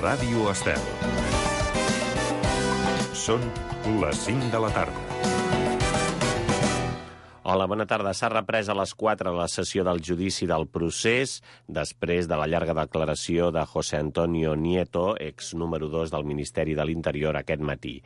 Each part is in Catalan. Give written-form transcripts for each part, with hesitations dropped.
Ràdio Estel. Són les 5 de la tarda. Hola, bona tarda. S'ha reprès a les 4 la sessió del judici del procés després de la llarga declaració de José Antonio Nieto, ex número 2 del Ministeri de l'Interior, aquest matí.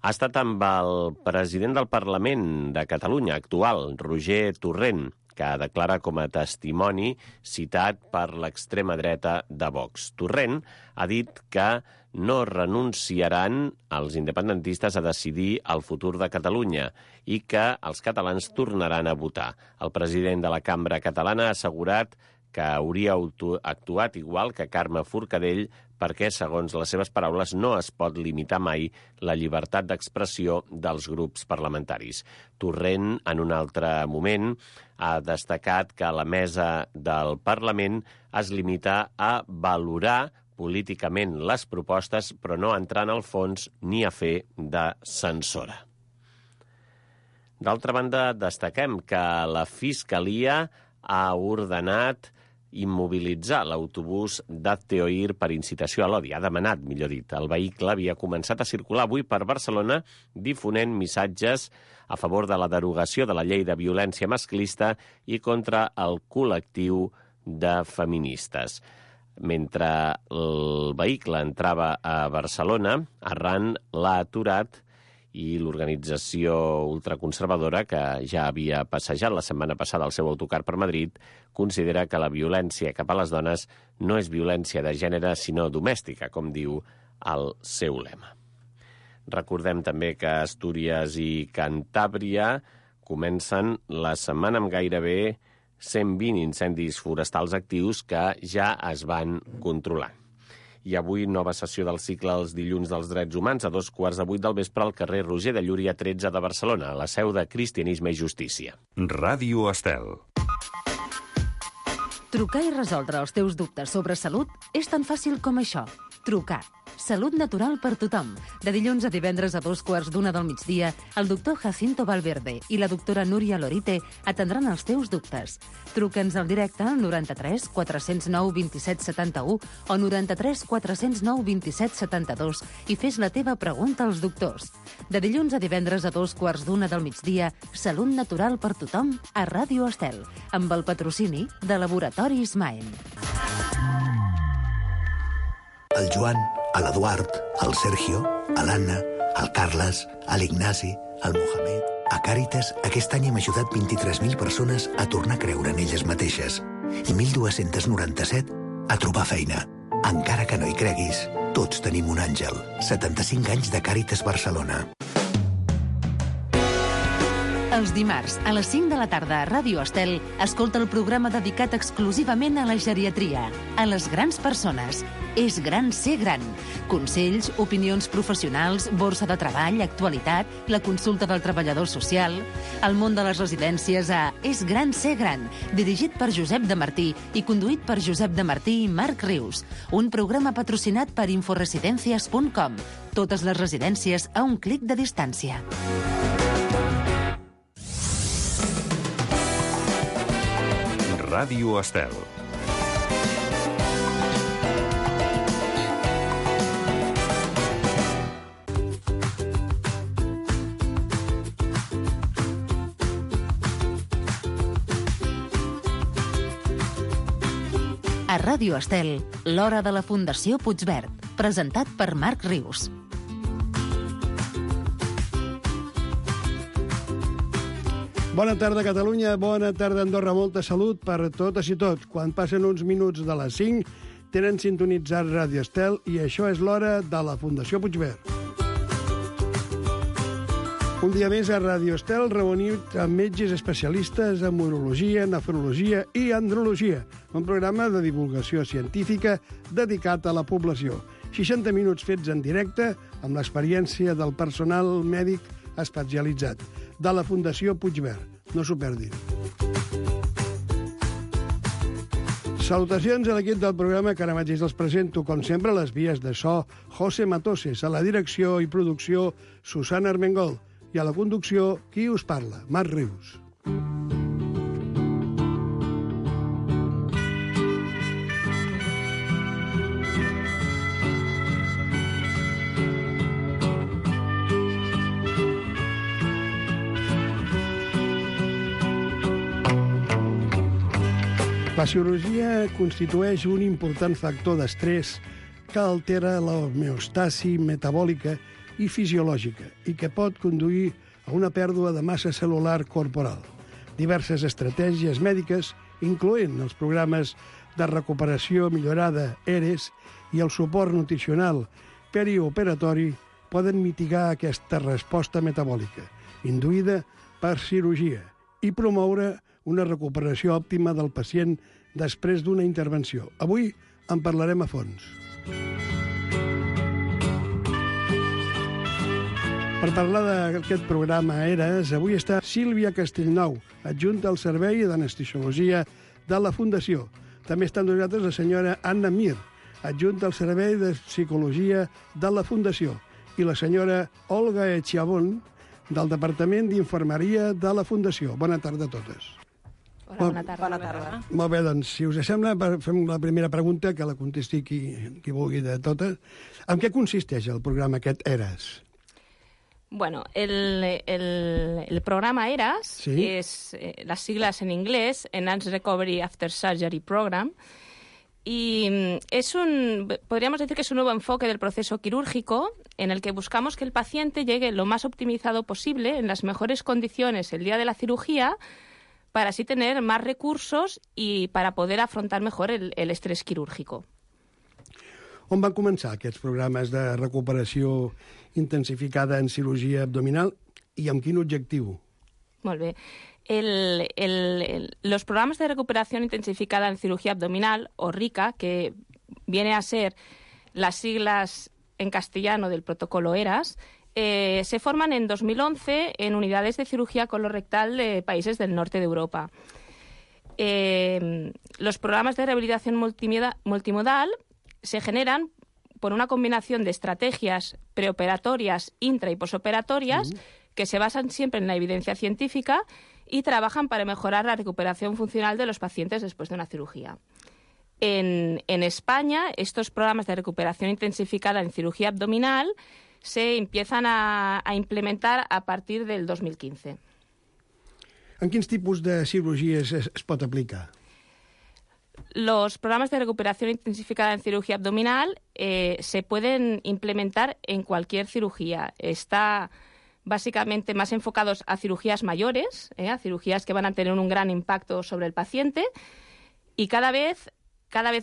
Ha estat amb el president del Parlament de Catalunya actual, Roger Torrent, que declara com a testimoni citat per l'extrema dreta de Vox. Torrent ha dit que no renunciaran els independentistes a decidir el futur de Catalunya i que els catalans tornaran a votar. El president de la Cambra Catalana ha assegurat que hauria actuat igual que Carme Forcadell perquè, segons les seves paraules, no es pot limitar mai la llibertat d'expressió dels grups parlamentaris. Torrent, en un altre moment, ha destacat que la mesa del Parlament es limita a valorar políticament les propostes, però no entrar en el fons ni a fer de censora. D'altra banda, destaquem que la Fiscalia ha ordenat immobilitzar l'autobús d'Hazte Oír per incitació a l'odi. Ha demanat, millor dit. El vehicle havia començat a circular avui per Barcelona difonent missatges a favor de la derogació de la llei de violència masclista i contra el col·lectiu de feministes. Mentre el vehicle entrava a Barcelona, Arran l'ha aturat i l'organització ultraconservadora, que ja havia passejat la setmana passada el seu autocar per Madrid, considera que la violència cap a les dones no és violència de gènere, sinó domèstica, com diu el seu lema. Recordem també que Astúries i Cantàbria comencen la setmana amb gairebé 120 incendis forestals actius que ja es van controlant. I avui nova sessió del cicle Els dilluns dels drets humans a 2:15 del vespre al carrer Roger de Llúria 13 de Barcelona, a la seu de Cristianisme i Justícia. Ràdio Estel. Trucar i resoldre els teus dubtes sobre salut és tan fàcil com això. Trucar. Salut natural per tothom. De dilluns a divendres a 2:15 del migdia, el doctor Jacinto Valverde i la doctora Núria Lorite atendran els teus dubtes. Truca'ns al directe al 93 409 27 71 o 93 409 27 72 i fes la teva pregunta als doctors. De dilluns a divendres a 2:15 del migdia, Salut natural per tothom a Ràdio Estel, amb el patrocini de Laboratoris Maen. El Joan, l'Eduard, el Sergio, l'Anna, el Carles, l'Ignasi, el Mohamed... A Càritas, aquest any hem ajudat 23.000 persones a tornar a creure en elles mateixes i 1.297 a trobar feina. Encara que no hi creguis, tots tenim un àngel. 75 anys de Càritas Barcelona. Els dimarts, a les 5 de la tarda a Ràdio Estel, escolta el programa dedicat exclusivament a la geriatria, a les grans persones. És gran ser gran. Consells, opinions professionals, borsa de treball, actualitat, la consulta del treballador social, el món de les residències a És gran ser gran, dirigit per Josep de Martí i conduït per Josep de Martí i Marc Rius. Un programa patrocinat per inforesidencias.com. Totes les residències a un clic de distància. Ràdio Estel. A Ràdio Estel, l'hora de la Fundació Puigverd, presentat per Marc Rius. Bona tarda, Catalunya. Bona tarda, Andorra. Molta salut per totes i tots. Quan passen uns minuts de les 5, tenen sintonitzat Ràdio Estel i això és l'hora de la Fundació Puigverd. Un dia més a Ràdio Estel reunit amb metges especialistes en urologia, nefrologia i andrologia. Un programa de divulgació científica dedicat a la població. 60 minuts fets en directe amb l'experiència del personal mèdic especialitzat de la Fundació Puigverd. No s'ho perdin. Salutacions a l'equip del programa, que ara mateix els presento, com sempre, les vies de so, José Matoses, a la direcció i producció, Susana Armengol, i a la conducció, qui us parla, Marc Rius. La cirurgia constitueix un important factor d'estrès que altera l'homeostasi metabòlica i fisiològica i que pot conduir a una pèrdua de massa cel·lular corporal. Diverses estratègies mèdiques, incloent els programes de recuperació millorada ERES i el suport nutricional perioperatori, poden mitigar aquesta resposta metabòlica, induïda per cirurgia, i promoure una recuperació òptima del pacient després d'una intervenció. Avui en parlarem a fons. Per parlar d'aquest programa ERES, avui està Sílvia Castellnou, adjunta al Servei d'Anestesiologia de la Fundació. També està amb nosaltres la senyora Anna Mir, adjunta al Servei de Psicologia de la Fundació, i la senyora Olga Echiabón, del Departament d'Infermeria de la Fundació. Bona tarda a totes. Hola, bona tarda. Bona tarda. Molt bé, doncs, si us sembla, fem la primera pregunta, que la contesti qui vulgui de totes. En què consisteix el programa aquest ERES? Bueno, el programa ERAS, ¿sí? Es las siglas en inglés, Enhanced Recovery After Surgery Program, y podríamos decir que es un nuevo enfoque del proceso quirúrgico en el que buscamos que el paciente llegue lo más optimizado posible, en las mejores condiciones el día de la cirugía, para así tener más recursos y para poder afrontar mejor el estrés quirúrgico. On van començar aquests programes de recuperació intensificada en cirurgia abdominal i amb quin objectiu? Molt bé. Los programas de recuperación intensificada en cirugía abdominal, o RICA, que viene a ser las siglas en castellano del protocolo ERAS, se forman en 2011 en unidades de cirugía colorectal de países del norte de Europa. Los programas de rehabilitación multimodal se generan por una combinación de estrategias preoperatorias, intra y posoperatorias, que se basan siempre en la evidencia científica y trabajan para mejorar la recuperación funcional de los pacientes después de una cirugía. En España, estos programas de recuperación intensificada en cirugía abdominal se empiezan a implementar a partir del 2015. En quins tipus de cirurgies es pot aplicar? Los programas de recuperación intensificada en cirugía abdominal se pueden implementar en cualquier cirugía. Está básicamente más enfocados a cirugías mayores, a cirugías que van a tener un gran impacto sobre el paciente, y cada vez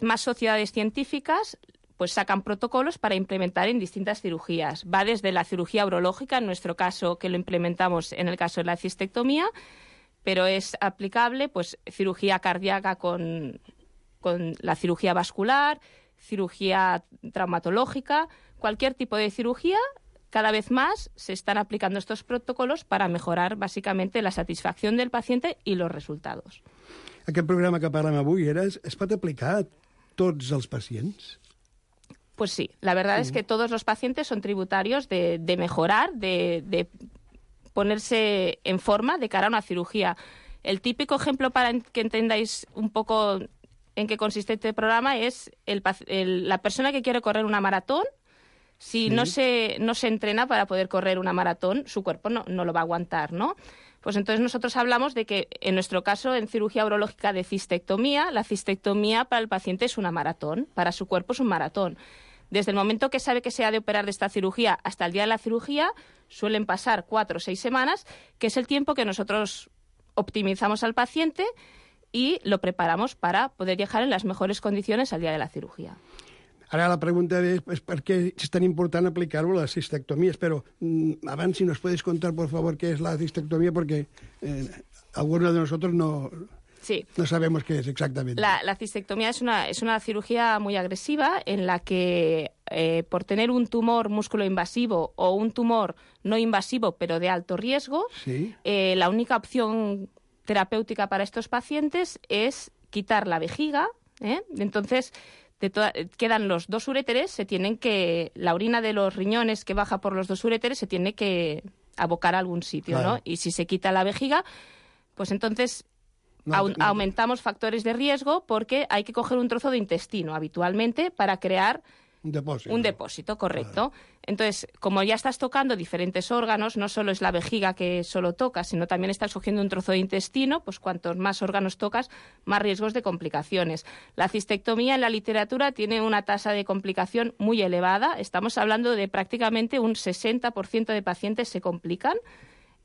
más sociedades científicas pues sacan protocolos para implementar en distintas cirugías. Va desde la cirugía urológica, en nuestro caso, que lo implementamos en el caso de la cistectomía, pero es aplicable pues cirugía cardíaca con la cirugía vascular, cirugía traumatológica, cualquier tipo de cirugía. Cada vez más se están aplicando estos protocolos para mejorar básicamente la satisfacción del paciente y los resultados. Aquest programa que parlem avui es pot aplicar a tots els pacients? Pues sí, la verdad es que todos los pacientes son tributarios de mejorar, de ponerse en forma de cara a una cirugía. El típico ejemplo para que entendáis un poco en qué consiste este programa es la persona que quiere correr una maratón. Si no se entrena para poder correr una maratón, su cuerpo no lo va a aguantar, ¿no? Pues entonces nosotros hablamos de que, en nuestro caso, en cirugía urológica de cistectomía, la cistectomía para el paciente es una maratón, para su cuerpo es un maratón. Desde el momento que sabe que se ha de operar de esta cirugía hasta el día de la cirugía, suelen pasar 4 o 6 semanas, que es el tiempo que nosotros optimizamos al paciente y lo preparamos para poder llegar en las mejores condiciones al día de la cirugía. Ara la pregunta és per què és tan important aplicar-ho a les cistectomies, però abans, si nos puedes contar, por favor, qué es la cistectomía, porque algunos de nosotros no sabemos qué es exactamente. La cistectomía es una cirugía muy agresiva en la que por tener un tumor músculo-invasivo o un tumor no invasivo pero de alto riesgo, la única opción terapéutica para estos pacientes es quitar la vejiga, entonces quedan los 2 uréteres, la orina de los riñones que baja por los 2 uréteres se tiene que abocar a algún sitio, claro, ¿no? Y si se quita la vejiga, pues entonces aumentamos factores de riesgo porque hay que coger un trozo de intestino habitualmente para crear Un depósito. Un depósito, correcto. Entonces, como ya estás tocando diferentes órganos, no solo es la vejiga que solo tocas, sino también estás cogiendo un trozo de intestino, pues cuantos más órganos tocas, más riesgos de complicaciones. La cistectomía en la literatura tiene una tasa de complicación muy elevada. Estamos hablando de prácticamente un 60% de pacientes se complican.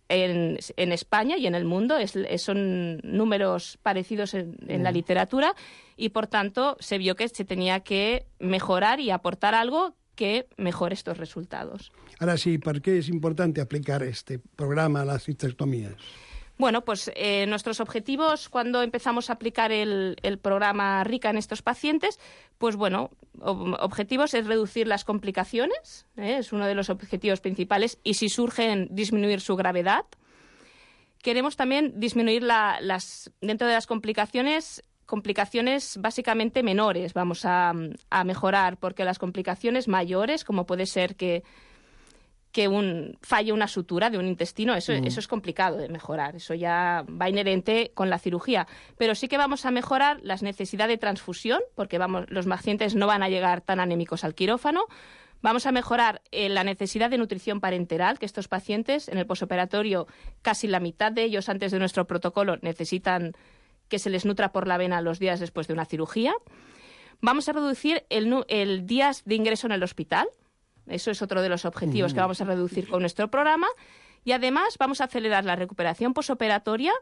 En España y en el mundo son números parecidos en la literatura y, por tanto, se vio que se tenía que mejorar y aportar algo que mejore estos resultados. Ahora sí, ¿por qué es importante aplicar este programa a las cistectomías? Bueno, pues nuestros objetivos cuando empezamos a aplicar el programa RICA en estos pacientes, pues bueno, objetivos es reducir las complicaciones, es uno de los objetivos principales, y si surgen, disminuir su gravedad. Queremos también disminuir dentro de las complicaciones básicamente menores, vamos a mejorar, porque las complicaciones mayores, como puede ser que falle una sutura de un intestino, eso es complicado de mejorar, eso ya va inherente con la cirugía. Pero sí que vamos a mejorar las necesidades de transfusión, porque los pacientes no van a llegar tan anémicos al quirófano. Vamos a mejorar la necesidad de nutrición parenteral, que estos pacientes en el posoperatorio, casi la mitad de ellos antes de nuestro protocolo, necesitan que se les nutra por la vena los días después de una cirugía. Vamos a reducir el días de ingreso en el hospital. Eso es otro de los objetivos que vamos a reducir con nuestro programa. Y además vamos a acelerar la recuperación posoperatoria,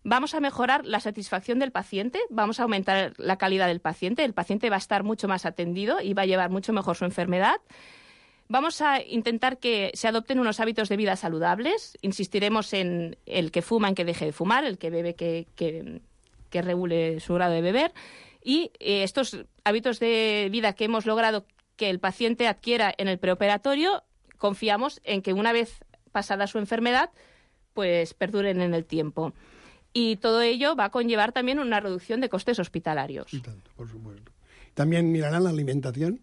vamos a mejorar la satisfacción del paciente, vamos a aumentar la calidad del paciente. El paciente va a estar mucho más atendido y va a llevar mucho mejor su enfermedad. Vamos a intentar que se adopten unos hábitos de vida saludables. Insistiremos en el que fuma, en que deje de fumar, el que bebe, que regule su grado de beber. Y estos hábitos de vida que hemos logrado que el paciente adquiera en el preoperatorio, confiamos en que una vez pasada su enfermedad, pues perduren en el tiempo. Y todo ello va a conllevar también una reducción de costes hospitalarios. Y tanto, por supuesto. ¿También mirarán la alimentación?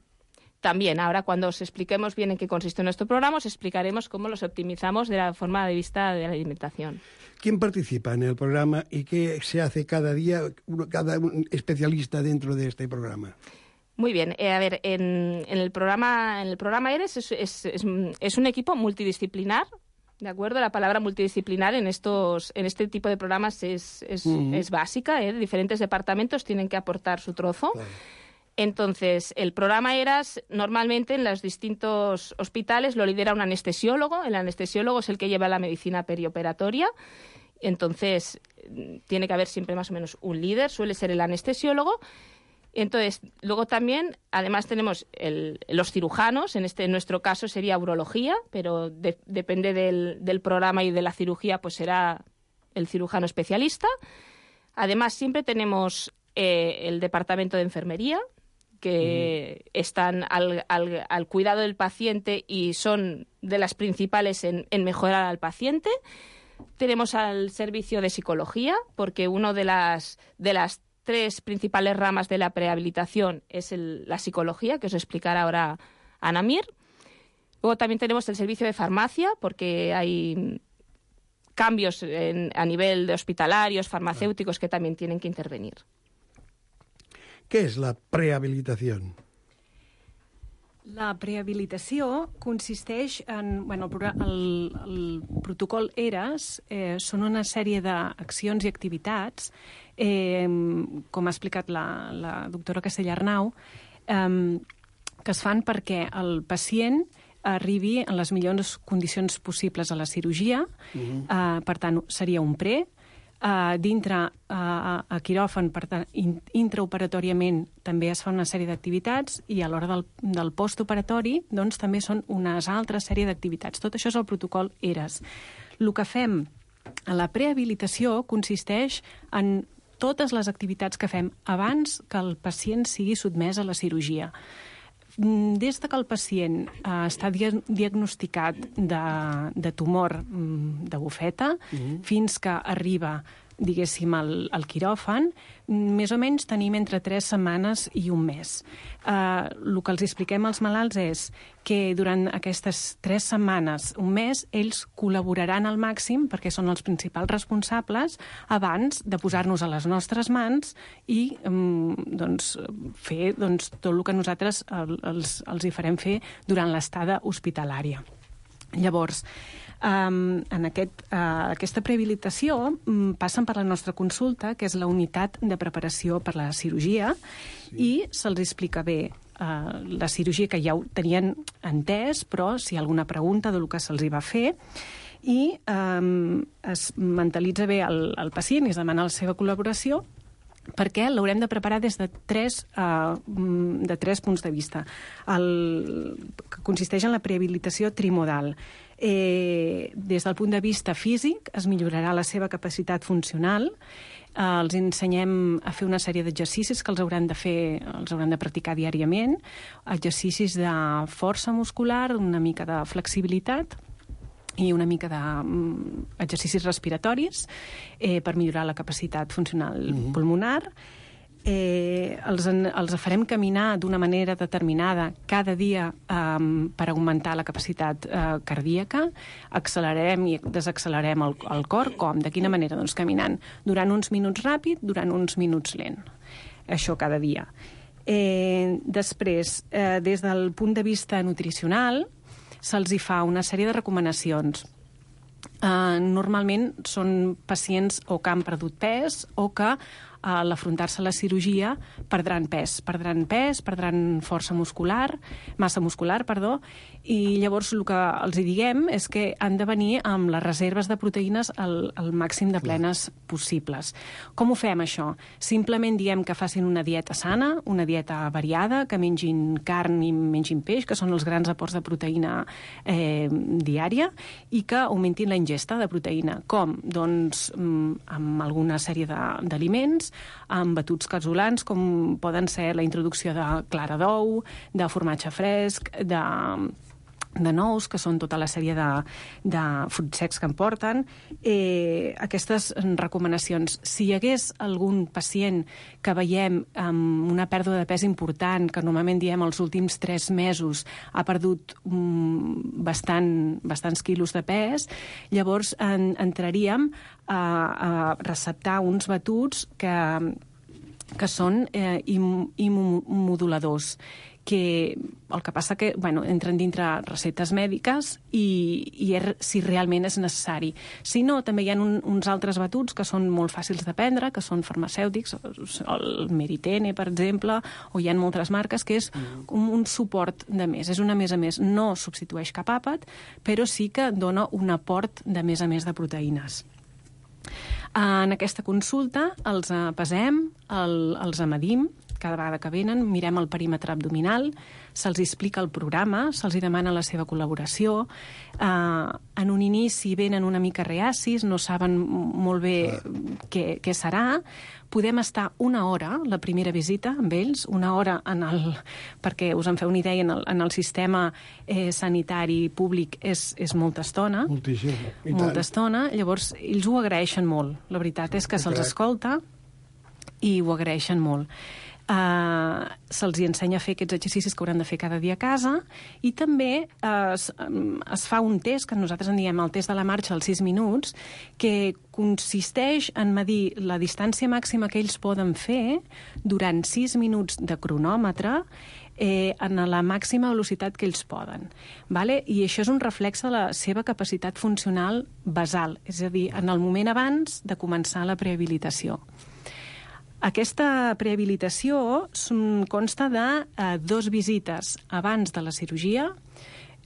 También, ahora cuando os expliquemos bien en qué consiste nuestro programa, os explicaremos cómo los optimizamos de la forma de vista de la alimentación. ¿Quién participa en el programa y qué se hace cada día, cada especialista dentro de este programa? Muy bien. A ver, en el programa ERES es un equipo multidisciplinar, ¿de acuerdo? La palabra multidisciplinar en este tipo de programas es básica, ¿eh? Diferentes departamentos tienen que aportar su trozo. Claro. Entonces, el programa ERAS normalmente en los distintos hospitales lo lidera un anestesiólogo. El anestesiólogo es el que lleva la medicina perioperatoria. Entonces, tiene que haber siempre más o menos un líder, suele ser el anestesiólogo. Entonces, luego también, además tenemos los cirujanos, en nuestro caso sería urología, pero depende del programa y de la cirugía, pues será el cirujano especialista. Además, siempre tenemos el departamento de enfermería, que están al cuidado del paciente y son de las principales en mejorar al paciente. Tenemos al servicio de psicología, porque una de las 3 principales ramas de la prehabilitación es la psicología, que os explicará ahora Ana Mir. Luego también tenemos el servicio de farmacia, porque hay cambios a nivel de hospitalarios, farmacéuticos, que también tienen que intervenir. Què és la prehabilitació? La prehabilitació consisteix en... Bueno, el protocol ERAS són una sèrie d'accions i activitats, com ha explicat la doctora Castellarnau, que es fan perquè el pacient arribi en les millors condicions possibles a la cirurgia. Per tant, seria un pre. Dintre a quiròfan, per tant, intraoperatoriament també es fa una sèrie d'activitats i a l'hora del postoperatori doncs, també són unes altres sèrie d'activitats. Tot això és el protocol ERAS. El que fem a la prehabilitació consisteix en totes les activitats que fem abans que el pacient sigui sotmès a la cirurgia. Des que el pacient està diagnosticat de tumor de bufeta fins que arriba diguéssim, al quiròfan, més o menys tenim entre 3 setmanes i un mes. El que els expliquem als malalts és que durant aquestes 3 setmanes, un mes, ells col·laboraran al màxim, perquè són els principals responsables, abans de posar-nos a les nostres mans i fer tot el que nosaltres els hi farem fer durant l'estada hospitalària. Llavors, aquesta prehabilitació passen per la nostra consulta, que és la unitat de preparació per la cirurgia, i se'ls explica bé la cirurgia, que ja ho tenien entès, però si hi ha alguna pregunta del que se'ls hi va fer, i es mentalitza bé el pacient i es demana la seva col·laboració, perquè l'haurem de preparar des de tres punts de vista, que consisteix en la prehabilitació trimodal. Des del punt de vista físic es millorarà la seva capacitat funcional, els ensenyem a fer una sèrie d'exercicis que els hauran de practicar diàriament, exercicis de força muscular, una mica de flexibilitat i una mica d'exercicis respiratoris per millorar la capacitat funcional pulmonar. Els farem caminar d'una manera determinada cada dia per augmentar la capacitat cardíaca. Accelerarem i desaccelerem el cor. Com? De quina manera? Doncs caminant durant uns minuts ràpid, durant uns minuts lent. Això cada dia. Després, des del punt de vista nutricional, se'ls hi fa una sèrie de recomanacions. Normalment són pacients o que han perdut pes o que a l'afrontar-se a la cirurgia perdran força muscular, massa muscular, i llavors el que els diguem és que han de venir amb les reserves de proteïnes al màxim de plenes possibles. Com ho fem, això? Simplement diem que facin una dieta sana, una dieta variada, que mengin carn i mengin peix, que són els grans aports de proteïna diària, i que augmentin la ingesta de proteïna. Com? Doncs amb alguna sèrie d'aliments, amb batuts casolans, com poden ser la introducció de clara d'ou, de formatge fresc, de nous, que són tota la sèrie de fruits secs que en porten. Aquestes recomanacions. Si hi hagués algun pacient que veiem amb una pèrdua de pes important, que normalment diem els últims 3 mesos ha perdut bastants quilos de pes, llavors entraríem a receptar uns batuts que són immunomoduladors, que el que passa que entren dintre receptes mèdiques i si realment és necessari. Si no, també hi ha uns altres batuts que són molt fàcils de prendre, que són farmacèutics, el Meritene, per exemple, o hi ha moltes marques, que és un suport de més. És una més a més. No substitueix cap àpat, però sí que dona un aport de més a més de proteïnes. En aquesta consulta els pesem, els medim, cada vegada que venen, mirem el perímetre abdominal, se'ls explica el programa, se'ls demana la seva col·laboració. En un inici venen una mica reacis, no saben molt bé què serà. Podem estar una hora, la primera visita amb ells, una hora perquè us en feu una idea, en el sistema sanitari públic és molta estona. Moltíssim. Molta estona. Llavors, ells ho agraeixen molt. La veritat és que se'ls escolta i ho agraeixen molt. Se'ls ensenya a fer aquests exercicis que hauran de fer cada dia a casa, i també es fa un test, que nosaltres en diem el test de la marxa als 6 minuts, que consisteix en medir la distància màxima que ells poden fer durant 6 minuts de cronòmetre en la màxima velocitat que ells poden. I això és un reflex de la seva capacitat funcional basal, és a dir, en el moment abans de començar la prehabilitació. Aquesta prehabilitació consta de 2 visites abans de la cirurgia.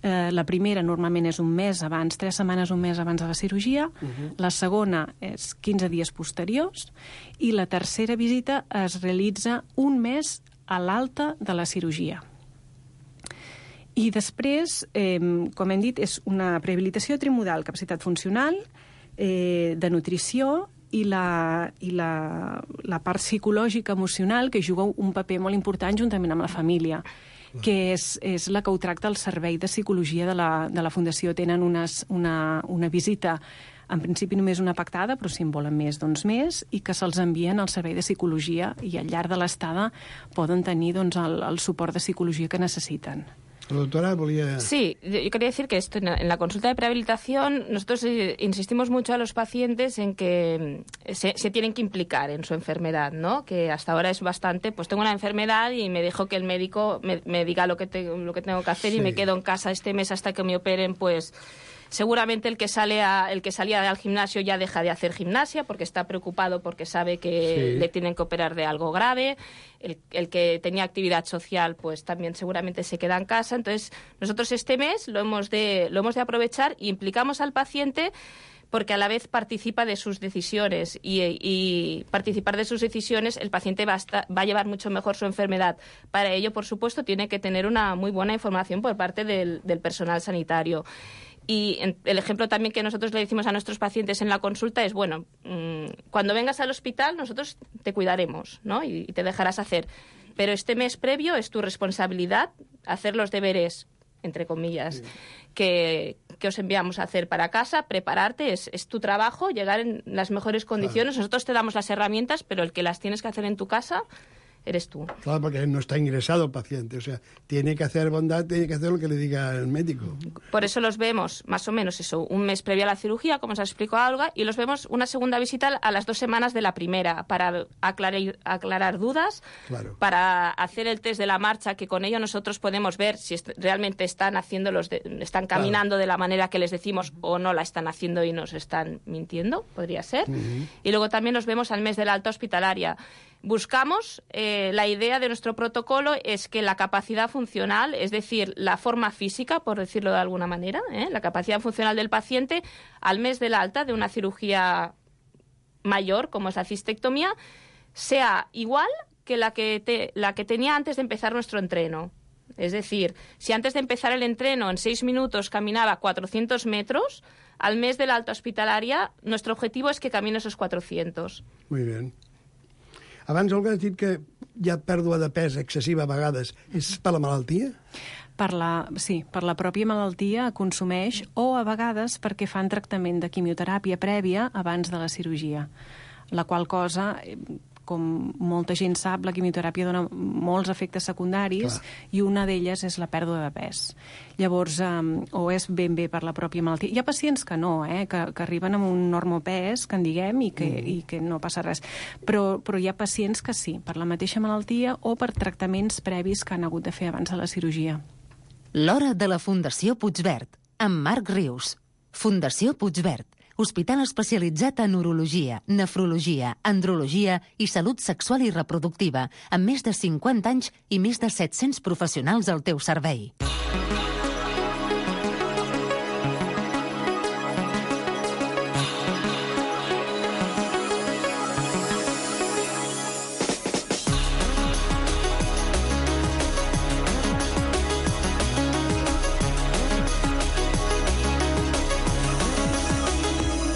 La primera normalment és un mes abans, 3 setmanes, un mes abans de la cirurgia. La segona és 15 dies posteriors. I la tercera visita es realitza un mes a l'alta de la cirurgia. I després, com hem dit, és una prehabilitació trimodal, capacitat funcional, de nutrició, i la part psicològica, emocional, que juga un paper molt important juntament amb la família, que és la que ho tracta el Servei de Psicologia de la Fundació. Tenen una visita en principi només una pactada, però si en volen més, doncs més, i que se'ls envien al servei de psicologia i al llarg de l'estada poden tenir doncs, el suport de psicologia que necessiten. La doctora volía... Sí, yo quería decir que esto, en la consulta de prehabilitación nosotros insistimos mucho a los pacientes en que se tienen que implicar en su enfermedad, ¿no? Que hasta ahora es bastante, pues tengo una enfermedad y me dejo que el médico me diga lo que tengo que hacer, sí, y me quedo en casa este mes hasta que me operen, pues... Seguramente el que salía al gimnasio ya deja de hacer gimnasia porque está preocupado porque sabe que le tienen que operar de algo grave. El que tenía actividad social pues también seguramente se queda en casa. Entonces nosotros este mes lo hemos de aprovechar y implicamos al paciente porque a la vez participa de sus decisiones y participar de sus decisiones el paciente va a llevar mucho mejor su enfermedad. Para ello, por supuesto, tiene que tener una muy buena información por parte del personal sanitario. Y el ejemplo también que nosotros le decimos a nuestros pacientes en la consulta es, bueno, cuando vengas al hospital nosotros te cuidaremos, ¿no? Y te dejarás hacer. Pero este mes previo es tu responsabilidad hacer los deberes, entre comillas, que os enviamos a hacer para casa, prepararte, es tu trabajo, llegar en las mejores condiciones. Claro. Nosotros te damos las herramientas, pero el que las tienes que hacer en tu casa eres tú. Claro, porque no está ingresado el paciente, o sea, tiene que hacer bondad, tiene que hacer lo que le diga el médico. Por eso los vemos, más o menos eso, un mes previo a la cirugía, como os ha explicado Olga, y los vemos una segunda visita a las 2 semanas de la primera, para aclarar dudas, claro, para hacer el test de la marcha, que con ello nosotros podemos ver si realmente están están caminando, claro, de la manera que les decimos, o no la están haciendo y nos están mintiendo, podría ser. Y luego también los vemos al mes de la alta hospitalaria. Buscamos, la idea de nuestro protocolo es que la capacidad funcional, es decir, la forma física, por decirlo de alguna manera, la capacidad funcional del paciente al mes del alta de una cirugía mayor, como es la cistectomía, sea igual que la que tenía antes de empezar nuestro entreno. Es decir, si antes de empezar el entreno en 6 minutos caminaba 400 metros, al mes de la alta hospitalaria nuestro objetivo es que camine esos 400. Muy bien. Abans, Olga, has dit que hi ha pèrdua de pes excessiva a vegades. És per la malaltia? Sí, per la pròpia malaltia consumeix, o a vegades perquè fan tractament de quimioteràpia prèvia abans de la cirurgia, la qual cosa, com molta gent sap, la quimioteràpia dona molts efectes secundaris. Clar. I una d'elles és la pèrdua de pes. Llavors, o és ben bé per la pròpia malaltia. Hi ha pacients que no, que arriben amb un normopès, que en diguem, i que no passa res. Però hi ha pacients que sí, per la mateixa malaltia o per tractaments previs que han hagut de fer abans de la cirurgia. L'hora de la Fundació Puigverd, amb Marc Rius. Fundació Puigverd, hospital especialitzat en urologia, nefrologia, andrologia i salut sexual i reproductiva, amb més de 50 anys i més de 700 professionals al teu servei.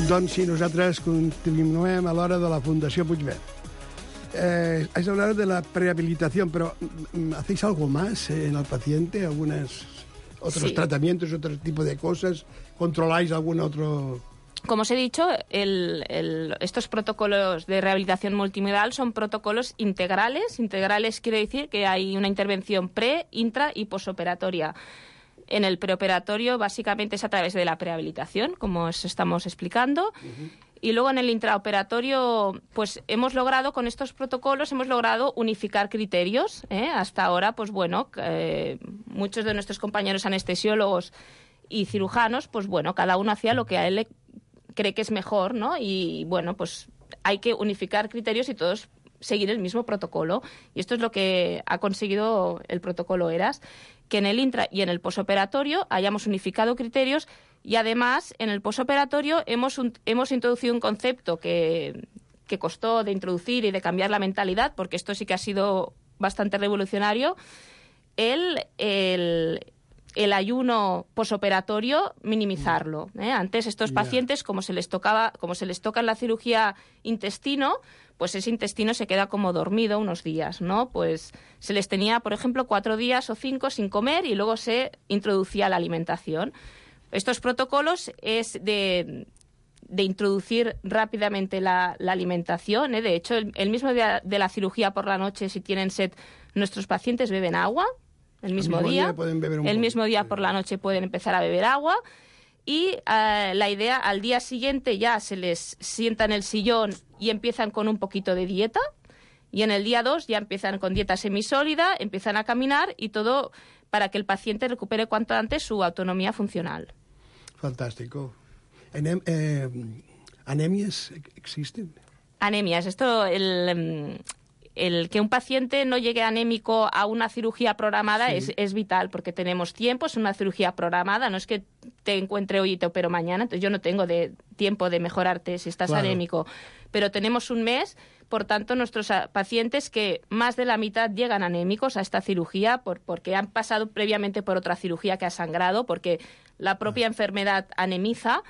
Doncs sí, nosaltres continuem a l'hora de la Fundació Puigverd. Has hablado de la prehabilitación, pero ¿hacéis algo más en el paciente? ¿Otros tratamientos, otro tipo de cosas? ¿Controláis algún otro...? Como os he dicho, estos protocolos de rehabilitación multimodal son protocolos integrales. Integrales quiere decir que hay una intervención pre, intra y posoperatoria. En el preoperatorio básicamente es a través de la prehabilitación, como os estamos explicando. Y luego en el intraoperatorio, pues con estos protocolos hemos logrado unificar criterios. Hasta ahora, pues bueno, muchos de nuestros compañeros anestesiólogos y cirujanos, pues bueno, cada uno hacía lo que a él cree que es mejor, ¿no? Y bueno, pues hay que unificar criterios y todos seguir el mismo protocolo. Y esto es lo que ha conseguido el protocolo ERAS, que en el intra y en el posoperatorio hayamos unificado criterios, y además en el posoperatorio hemos introducido un concepto que costó de introducir y de cambiar la mentalidad, porque esto sí que ha sido bastante revolucionario, el ayuno posoperatorio, minimizarlo. Antes estos pacientes, como se les toca en la cirugía intestino, pues ese intestino se queda como dormido unos días, ¿no? Pues se les tenía, por ejemplo, 4 días o 5 sin comer y luego se introducía la alimentación. Estos protocolos es de de introducir rápidamente la alimentación. De hecho, el mismo día de la cirugía por la noche, si tienen sed, nuestros pacientes beben agua. El mismo día pueden beber un el poco. mismo día por la noche pueden empezar a beber agua. Y la idea, al día siguiente ya se les sienta en el sillón y empiezan con un poquito de dieta. Y en el día 2 ya empiezan con dieta semisólida, empiezan a caminar y todo para que el paciente recupere cuanto antes su autonomía funcional. Fantástico. ¿Anemias existen? Anemias. Esto, el que un paciente no llegue anémico a una cirugía programada es vital, porque tenemos tiempo, es una cirugía programada, no es que te encuentre hoy y te opero mañana, entonces yo no tengo tiempo de mejorarte si estás anémico, pero tenemos un mes, por tanto nuestros pacientes, que más de la mitad llegan anémicos a esta cirugía porque han pasado previamente por otra cirugía que ha sangrado, porque la propia enfermedad anemiza,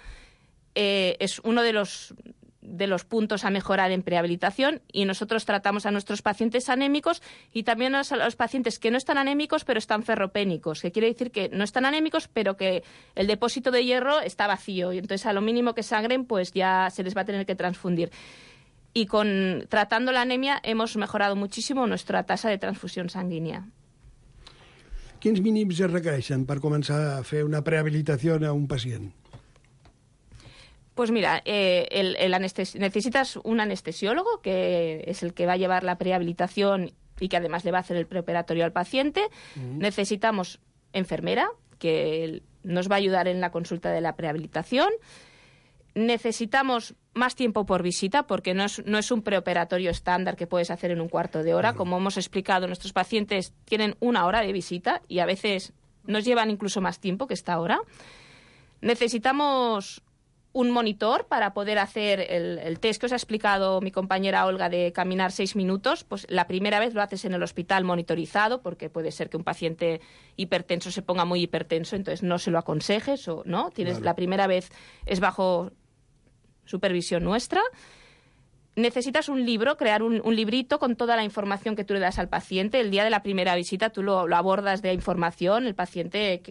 es uno de los puntos a mejorar en prehabilitación, y nosotros tratamos a nuestros pacientes anémicos y también a los pacientes que no están anémicos pero están ferropénicos, que quiere decir que no están anémicos pero que el depósito de hierro está vacío y entonces a lo mínimo que sangren pues ya se les va a tener que transfundir. Y tratando la anemia hemos mejorado muchísimo nuestra tasa de transfusión sanguínea. Quins mínims es requereixen per començar a fer una prehabilitació a un pacient? Pues mira, necesitas un anestesiólogo, que es el que va a llevar la prehabilitación y que además le va a hacer el preoperatorio al paciente. Necesitamos enfermera, que nos va a ayudar en la consulta de la prehabilitación. Necesitamos más tiempo por visita, porque no es un preoperatorio estándar que puedes hacer en un cuarto de hora. Como hemos explicado, nuestros pacientes tienen 1 hora de visita y a veces nos llevan incluso más tiempo que esta hora. Necesitamos un monitor para poder hacer el test que os ha explicado mi compañera Olga de caminar 6 minutos. Pues la primera vez lo haces en el hospital monitorizado, porque puede ser que un paciente hipertenso se ponga muy hipertenso, entonces no se lo aconsejes, o no. La primera vez es bajo supervisión nuestra. Necesitas un libro, crear un librito con toda la información que tú le das al paciente. El día de la primera visita tú lo abordas de información, el paciente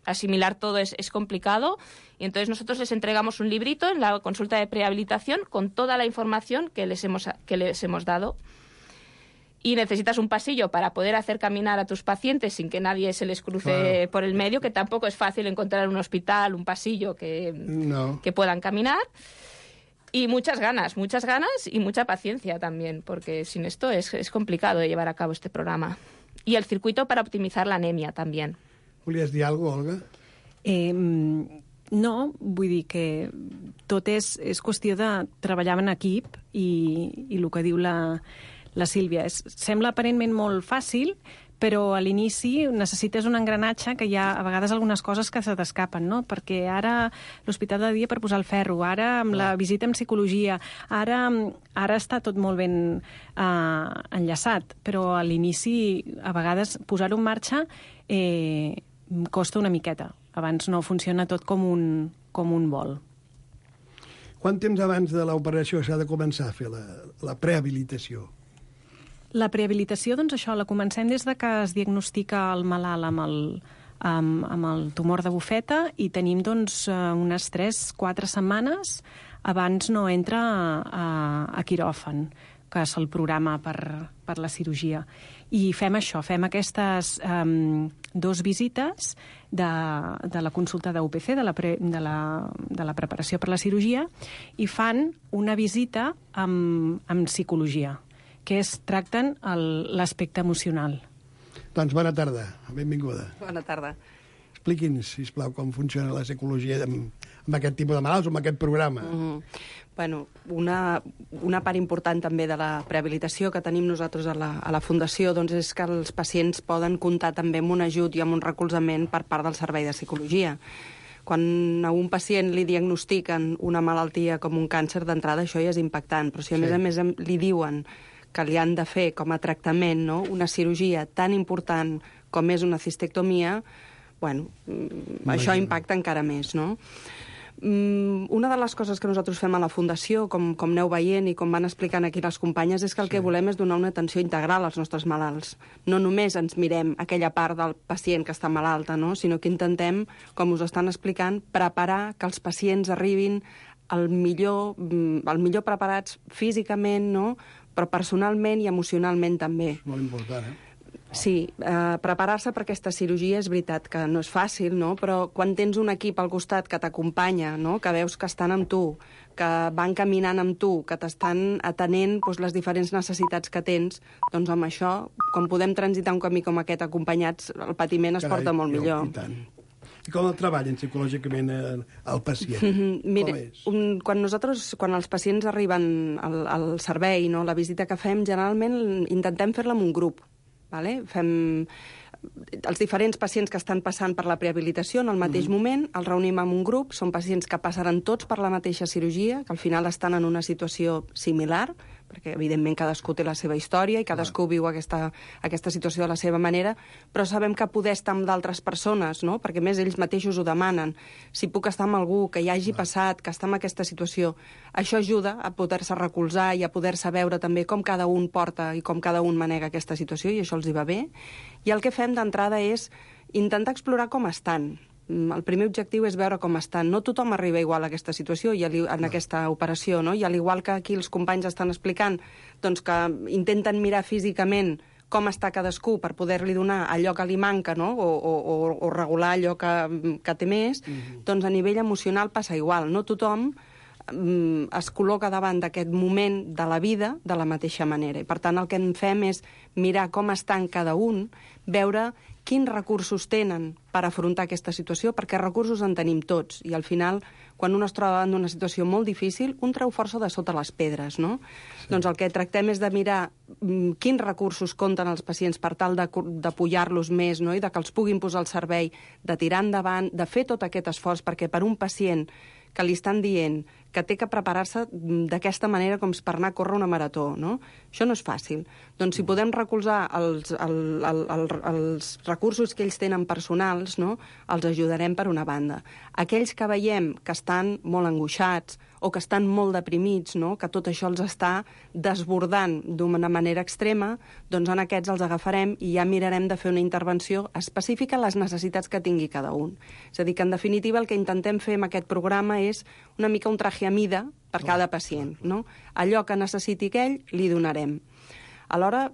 asimilar todo es complicado, y entonces nosotros les entregamos un librito en la consulta de prehabilitación con toda la información que les hemos dado. Y necesitas un pasillo para poder hacer caminar a tus pacientes sin que nadie se les cruce por el medio, que tampoco es fácil encontrar en un hospital un pasillo que puedan caminar. Y muchas ganas y mucha paciencia también, porque sin esto es complicado de llevar a cabo este programa. Y el circuito para optimizar la anemia también. Volies dir alguna cosa, Olga? No, vull dir que tot és qüestió de treballar en equip i el que diu la Sílvia. Sembla aparentment molt fàcil, però a l'inici necessites un engranatge que hi ha a vegades algunes coses que se t'escapen, no? Perquè ara l'hospital de dia per posar el ferro, ara amb la visita en psicologia, ara està tot molt ben enllaçat, però a l'inici a vegades posar-ho en marxa costa una miqueta. Abans no funciona tot com un vol. Quant temps abans de l'operació s'ha de començar a fer la prehabilitació? La prehabilitació, doncs això, la comencem des de que es diagnostica el malalt amb el tumor de bufeta i tenim doncs unes 3-4 setmanes abans no entra a quiròfan, que se'l programa per la cirurgia. I fem això, fem aquestes 2 visites de la consulta d'UPC, de la preparació per la cirurgia, i fan una visita amb psicologia, que tracten l'aspecte emocional. Doncs bona tarda, benvinguda. Bona tarda. Expliqui'ns, sisplau, com funciona la psicologia amb aquest tipus de malalts o amb aquest programa. Bueno, una part important també de la prehabilitació que tenim nosaltres a la Fundació doncs és que els pacients poden comptar també amb un ajut i amb un recolzament per part del servei de psicologia. Quan a un pacient li diagnostiquen una malaltia com un càncer, d'entrada això ja és impactant, però si a més li diuen que li han de fer com a tractament, no?, una cirurgia tan important com és una cistectomia, bueno, això impacta encara més, no? Una de les coses que nosaltres fem a la Fundació, com aneu veient i com van explicant aquí les companyes, és que el que volem és donar una atenció integral als nostres malalts. No només ens mirem aquella part del pacient que està malalta, no?, sinó que intentem, com us estan explicant, preparar que els pacients arribin el millor preparats físicament, no? Però personalment i emocionalment també. Molt important, Sí, preparar-se per aquesta cirurgia és veritat que no és fàcil, no? Però quan tens un equip al costat que t'acompanya, no? Que veus que estan amb tu, que van caminant amb tu, que t'estan atenent les diferents necessitats que tens, doncs amb això, quan podem transitar un camí com aquest acompanyats, el patiment es porta molt millor. I tant. I com el treballen psicològicament el pacient? Mira, com és? Quan els pacients arriben al servei, no, la visita que fem, generalment intentem fer-la amb un grup. Vale? Fem els diferents pacients que estan passant per la prehabilitació en el mateix moment, els reunim en un grup, són pacients que passaran tots per la mateixa cirurgia, que al final estan en una situació similar, perquè evidentment cadascú té la seva història i cadascú viu aquesta situació de la seva manera, però sabem que poder estar amb d'altres persones, no? Perquè més ells mateixos ho demanen. Si puc estar amb algú que ja hagi passat, que està en aquesta situació, això ajuda a poder-se recolzar i a poder-se veure també com cada un porta i com cada un manega aquesta situació, i això els hi va bé. I el que fem d'entrada és intentar explorar com estan. El primer objectiu és veure com estan. No tothom arriba igual a aquesta situació i en aquesta operació, no? I al igual que aquí els companys estan explicant doncs que intenten mirar físicament com està cadascú per poder-li donar allò que li manca, no? o regular allò que té més, doncs a nivell emocional passa igual. No tothom es col·loca davant d'aquest moment de la vida de la mateixa manera. I, per tant, el que en fem és mirar com estan cada un, veure quins recursos tenen per afrontar aquesta situació, perquè recursos en tenim tots. I al final, quan un es troba davant d'una situació molt difícil, un treu força de sota les pedres, no? Sí. Doncs el que tractem és de mirar quins recursos compten els pacients per tal d'apoyar-los més, no? I de que els puguin posar al servei, de tirar endavant, de fer tot aquest esforç, perquè per un pacient que li estan dient que té que preparar-se d'aquesta manera com per anar a córrer una marató, no? Això no és fàcil. Doncs si podem recolzar els recursos que ells tenen personals, no? Els ajudarem per una banda. Aquells que veiem que estan molt angoixats o que estan molt deprimits, no? Que tot això els està desbordant d'una manera extrema, doncs en aquests els agafarem i ja mirarem de fer una intervenció específica a les necessitats que tingui cada un. És a dir, que en definitiva el que intentem fer amb aquest programa és una mica un traje a mida per cada pacient, no? Allò que necessiti aquell, li donarem. Alhora,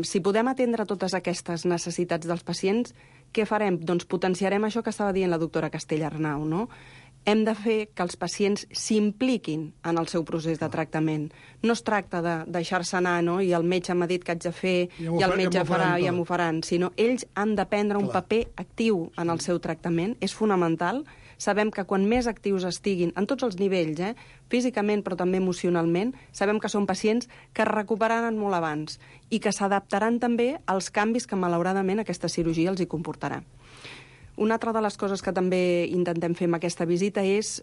si podem atendre totes aquestes necessitats dels pacients, què farem? Doncs potenciarem això que estava dient la doctora Castellarnau, no? Hem de fer que els pacients s'impliquin en el seu procés de tractament. No es tracta de deixar-se anar, no? I el metge m'ha dit que haig de fer, i el metge farà, i ja m'ho faran, sinó ells han de prendre un paper actiu en el seu tractament. És fonamental. Sabem que quan més actius estiguin, en tots els nivells, físicament però també emocionalment, sabem que són pacients que es recuperaran molt abans i que s'adaptaran també als canvis que malauradament aquesta cirurgia els hi comportarà. Una altra de les coses que també intentem fer amb aquesta visita és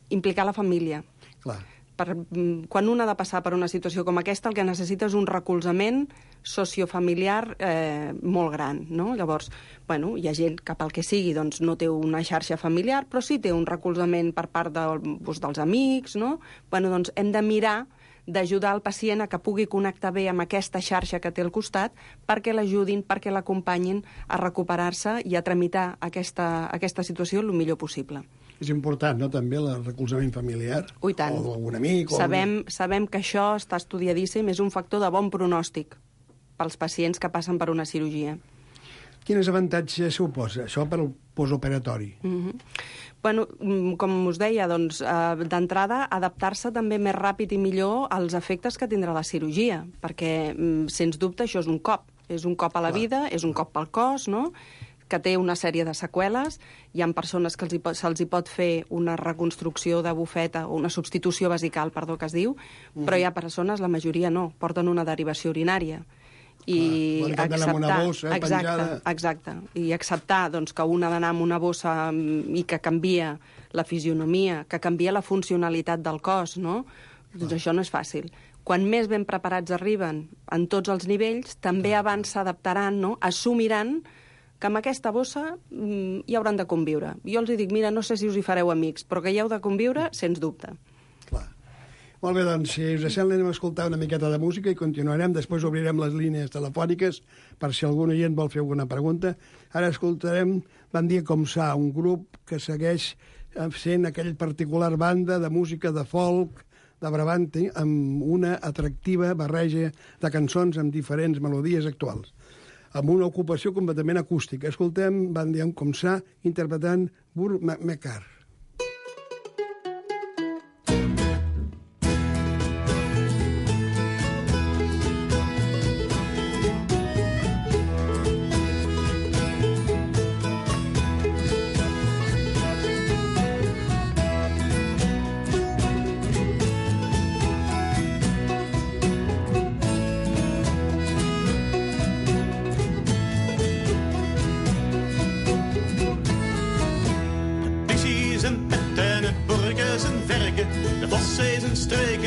implicar la família. Clar. Quan un ha de passar per una situació com aquesta, el que necessita és un recolzament sociofamiliar molt gran, no? Llavors, bueno, hi ha gent que pel que sigui doncs, no té una xarxa familiar, però sí té un recolzament per part dels amics, no? Bueno, doncs hem de mirar d'ajudar el pacient a que pugui connectar bé amb aquesta xarxa que té al costat perquè l'ajudin, perquè l'acompanyin a recuperar-se i a tramitar aquesta situació el millor possible. És important, no?, també el recolzament familiar. I tant. O d'algun amic. Sabem que això està estudiadíssim, és un factor de bon pronòstic pels pacients que passen per una cirurgia. Quins avantatges suposa això per al postoperatori? Bueno, com us deia, doncs, d'entrada, adaptar-se també més ràpid i millor als efectes que tindrà la cirurgia, perquè, sens dubte, això és un cop. És un cop a la vida, és un cop pel cos, no?, que té una sèrie de seqüeles. Hi ha persones que se'ls hi pot fer una reconstrucció de bufeta, o una substitució vesical, perdó, que es diu, però hi ha persones, la majoria no, porten una derivació urinària. I acceptar, una bossa, exacte, i acceptar doncs, que un ha d'anar amb una bossa i que canvia la fisionomia, que canvia la funcionalitat del cos, no? Doncs això no és fàcil. Quan més ben preparats arriben en tots els nivells, també abans s'adaptaran, no? Assumiran que amb aquesta bossa hi hauran de conviure. Jo els dic, mira, no sé si us hi fareu amics, però que hi heu de conviure, sens dubte. Clar. Molt bé, doncs, si us sembla, anem a escoltar una miqueta de música i continuarem. Després obrirem les línies telefòniques per si algun oient vol fer alguna pregunta. Ara escoltarem Van dir com s'ha, un grup que segueix sent aquella particular banda de música de folk, de Brabante, amb una atractiva barreja de cançons amb diferents melodies actuals, amb una ocupació completament acústica. Escoltem Van Diem Com Ça interpretant Burt Mekar.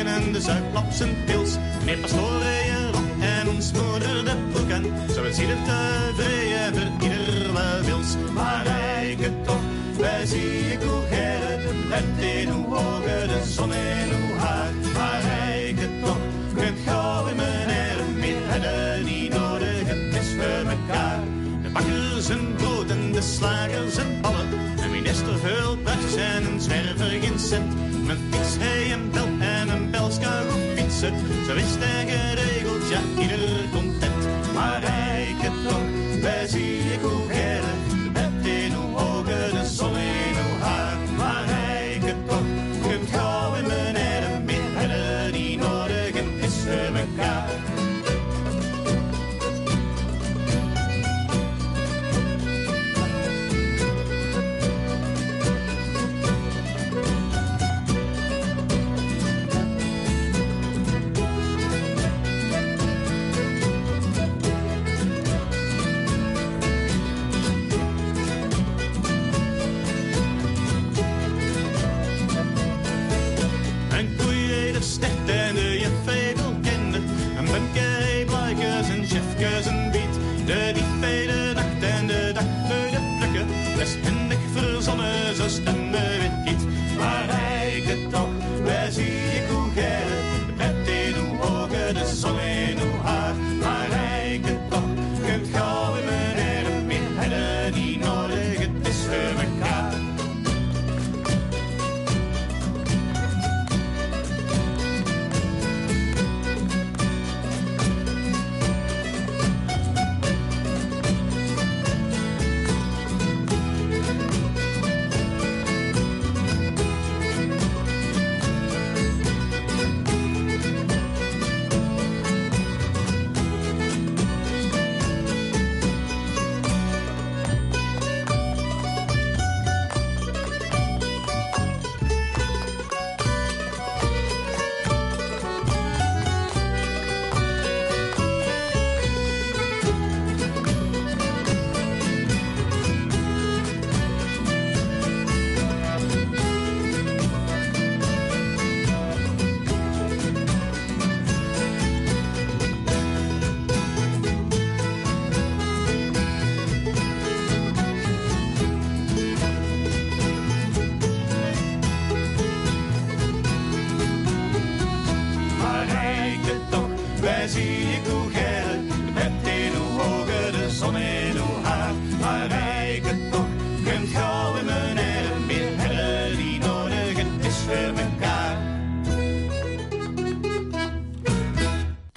En de zuiplap zijn pils, meneer Pastoren je rok en ons moeder de broek aan. Zo is ieder tevreden, voor ieder wel wils. Maar rijke toch, wij zie ik hoe gerrit, het in hoe ogen, de zon in hoe haar. Maar rijke toch, kunt gauw in mijn heren, meer hebben niet nodig, het is voor mekaar. De bakkers en brood en de slagers en ballen, een minister veel praatjes en een zwerver geen cent. Mijn fiets, hij een bel en een belska goed fietsen. Zo is het geregeld, ja, ieder content. Maar rijke toch, wij zie ik hoe gerrit. Het in hoe ogen, de zon in hoe haar. Maar rijke toch, kunt gauw in mijn heren. Meer hebben die nodig, het is voor mekaar.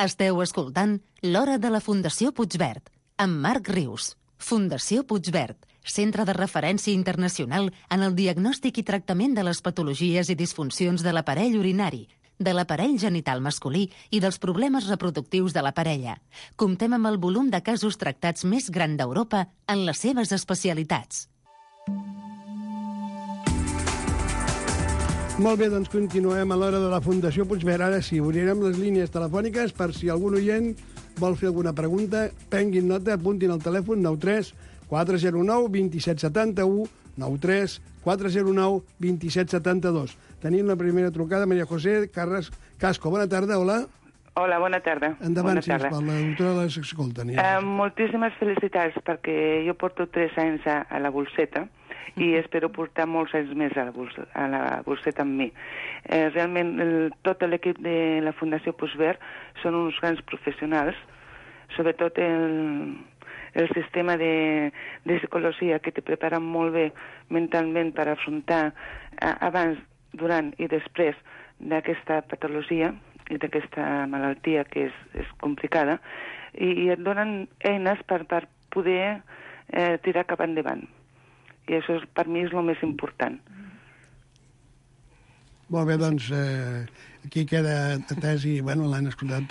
Esteu escoltant l'Hora de la Fundació Puigverd, amb Marc Rius. Fundació Puigverd, centre de referència internacional en el diagnòstic i tractament de les patologies i disfuncions de l'aparell urinari, de l'aparell genital masculí i dels problemes reproductius de la parella. Comptem amb el volum de casos tractats més gran d'Europa en les seves especialitats. Molt bé, doncs continuem a l'Hora de la Fundació Puigverd. Ara sí, obrirem les línies telefòniques per si algun oient vol fer alguna pregunta. Prenguin nota, apuntin al telèfon 93 409 2771 93 409 2772. Tenim la primera trucada, Maria José Carras Casco. Bona tarda, hola. Hola, bona tarda. Endavant, bona tarda. sisplau, la doctora les escolta. Moltíssimes felicitats, perquè jo porto 3 anys a la Bolseta i espero portar molts anys més a la Bolseta amb mi. Realment, tot l'equip de la Fundació Puigverd són uns grans professionals, sobretot el sistema de psicologia que te prepara molt bé mentalment per afrontar abans, durant i després d'aquesta patologia i d'aquesta malaltia que és complicada, i et donen eines per poder tirar cap endavant. I això per mi és el més important. Molt bé, doncs aquí queda atès i l'han escoltat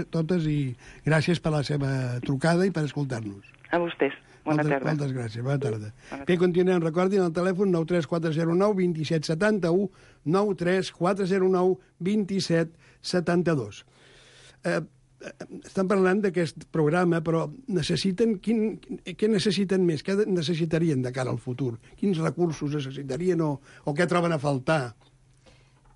totes i gràcies per la seva trucada i per escoltar-nos. A vostès. Bona tarda. Moltes gràcies. Bona tarda. Bé, continuem. Recordin el telèfon 93409 2771 93409 2772. Estan parlant d'aquest programa, però què necessiten més? Què necessitarien de cara al futur? Quins recursos necessitarien o què troben a faltar?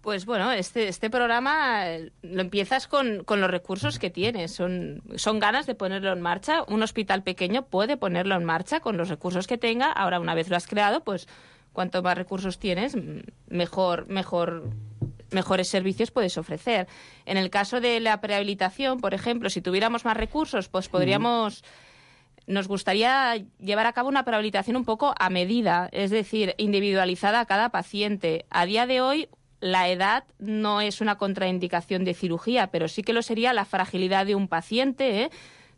Pues bueno, este programa lo empiezas con los recursos que tienes. Son ganas de ponerlo en marcha. Un hospital pequeño puede ponerlo en marcha con los recursos que tenga. Ahora, una vez lo has creado, pues cuanto más recursos tienes, mejores servicios puedes ofrecer. En el caso de la prehabilitación, por ejemplo, si tuviéramos más recursos, pues nos gustaría llevar a cabo una prehabilitación un poco a medida, es decir, individualizada a cada paciente. A día de hoy, la edad no es una contraindicación de cirugía, pero sí que lo sería la fragilidad de un paciente,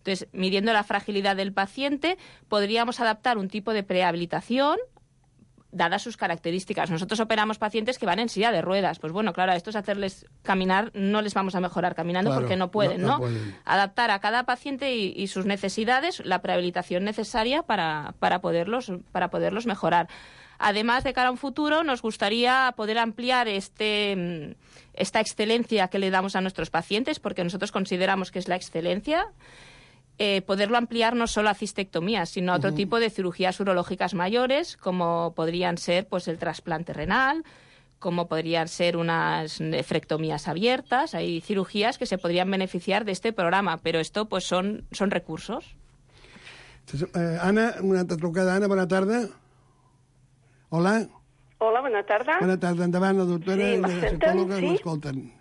Entonces, midiendo la fragilidad del paciente, podríamos adaptar un tipo de prehabilitación dadas sus características. Nosotros operamos pacientes que van en silla de ruedas. Pues bueno, claro, a estos hacerles caminar no les vamos a mejorar caminando, claro, porque no pueden, ¿no? Pueden. Adaptar a cada paciente y sus necesidades la prehabilitación necesaria para poderlos mejorar. Además, de cara a un futuro, nos gustaría poder ampliar esta excelencia que le damos a nuestros pacientes, porque nosotros consideramos que es la excelencia, poderlo ampliar no solo a cistectomías, sino a otro tipo de cirugías urológicas mayores, como podrían ser pues el trasplante renal, como podrían ser unas nefrectomías abiertas. Hay cirugías que se podrían beneficiar de este programa, pero esto pues son recursos. Entonces, Ana, una altra trucada. Ana, bona tarda. Hola. Hola, bona tarda. Bona tarda, endavant, la doctora sí, i la psicòloga que l'escolten.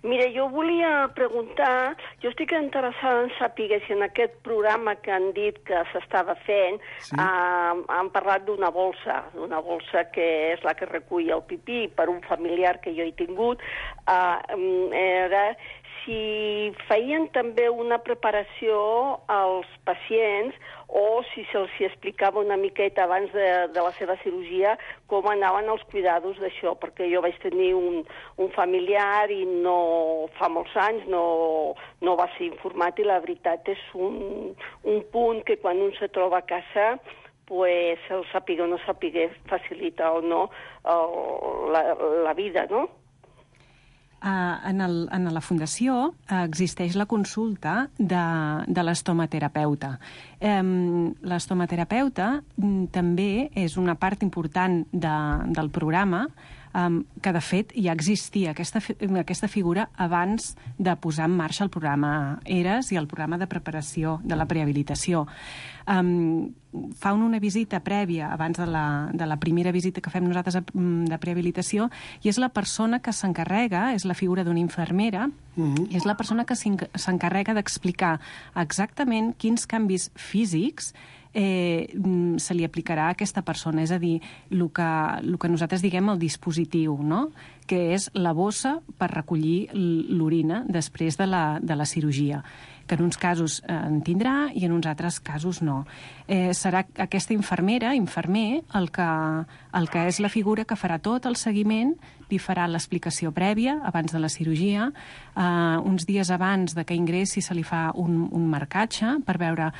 Mira, jo volia preguntar, jo estic interessada en saber si en aquest programa que han dit que s'estava fent han parlat d'una bolsa que és la que recull el pipí per un familiar que jo he tingut, era si feien també una preparació als pacients o si se'ls explicava una miqueta abans de la seva cirurgia com anaven els cuidados d'això, perquè jo vaig tenir un familiar i fa molts anys no va ser informat i la veritat és un punt que quan un se troba a casa pues el sàpiga o no sàpiga facilita o no la vida, no? En la Fundació existeix la consulta de l'estomaterapeuta. L'estomaterapeuta també és una part important del programa, que de fet ja existia aquesta figura abans de posar en marxa el programa ERAS i el programa de preparació de la prehabilitació. Fa una visita prèvia abans de la primera visita que fem nosaltres de prehabilitació i és la persona que s'encarrega, és la figura d'una infermera, és la persona que s'encarrega d'explicar exactament quins canvis físics se li aplicarà a aquesta persona, és a dir, el que nosaltres diguem el dispositiu, no? Que és la bossa per recollir l'orina després de la cirurgia, que en uns casos en tindrà i en uns altres casos no. Serà aquesta infermer, el que és la figura que farà tot el seguiment, li farà l'explicació prèvia abans de la cirurgia, uns dies abans de que ingressi se li fa un marcatge per veure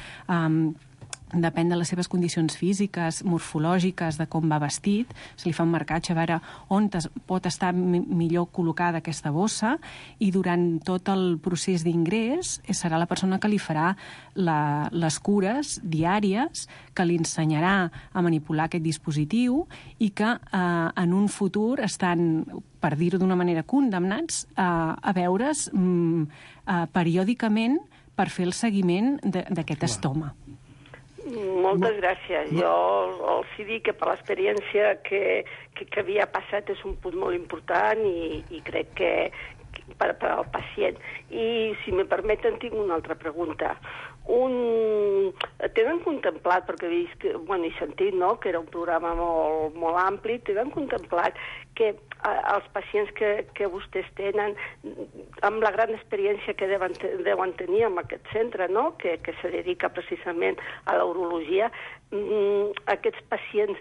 depèn de les seves condicions físiques, morfològiques, de com va vestit, se li fa un marcatge a veure on pot estar millor col·locada aquesta bossa i durant tot el procés d'ingrés serà la persona que li farà les cures diàries, que li ensenyarà a manipular aquest dispositiu i que en un futur estan, per dir-ho d'una manera, condemnats a veure's periòdicament per fer el seguiment d'aquest estoma. Moltes gràcies. Jo els dic que per l'experiència que havia passat és un punt molt important i crec que per al pacient. I, si me permeten, tinc una altra pregunta. tenen contemplat, perquè he vist, he sentit, no?, que era un programa molt ampli, tenen contemplat que els pacients que vostès tenen, amb la gran experiència que deuen tenir en aquest centre, no?, que se dedica precisament a la urologia, aquests pacients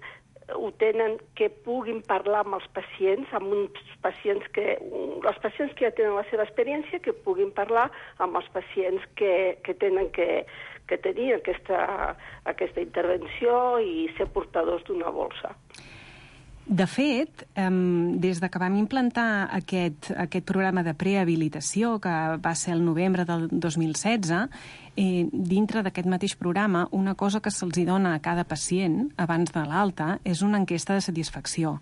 ho tenen, que puguin parlar amb els pacients, amb uns pacients els pacients que ja tenen la seva experiència, que puguin parlar amb els pacients que tenen que tenir aquesta intervenció i ser portadors d'una bolsa. De fet, des que vam implantar aquest programa de prehabilitació, que va ser el novembre del 2016, dintre d'aquest mateix programa, una cosa que se'ls dona a cada pacient abans de l'alta és una enquesta de satisfacció.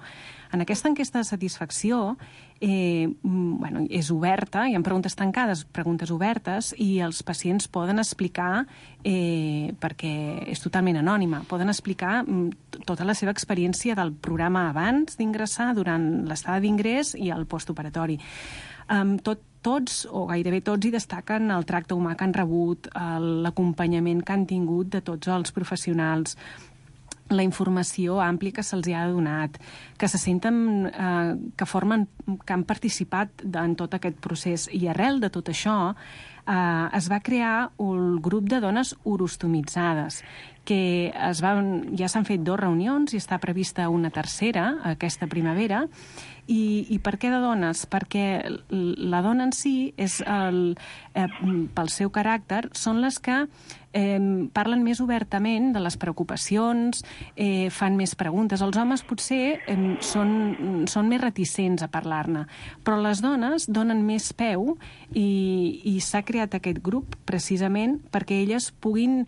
En aquesta enquesta de satisfacció és oberta, hi ha preguntes tancades, preguntes obertes, i els pacients poden explicar, perquè és totalment anònima, poden explicar tota la seva experiència del programa abans d'ingressar, durant l'estada d'ingrés i el postoperatori. Tots, o gairebé tots, hi destaquen el tracte humà que han rebut, l'acompanyament que han tingut de tots els professionals, la informació àmplia que se'ls ha donat, que se senten que han participat en tot aquest procés. I arrel de tot això es va crear un grup de dones urostomitzades, que ja s'han fet 2 reunions i està prevista una tercera aquesta primavera. I per què de dones? Perquè la dona en si, pel seu caràcter, són les que parlen més obertament de les preocupacions, fan més preguntes. Els homes potser són més reticents a parlar-ne, però les dones donen més peu i s'ha creat aquest grup precisament perquè elles puguin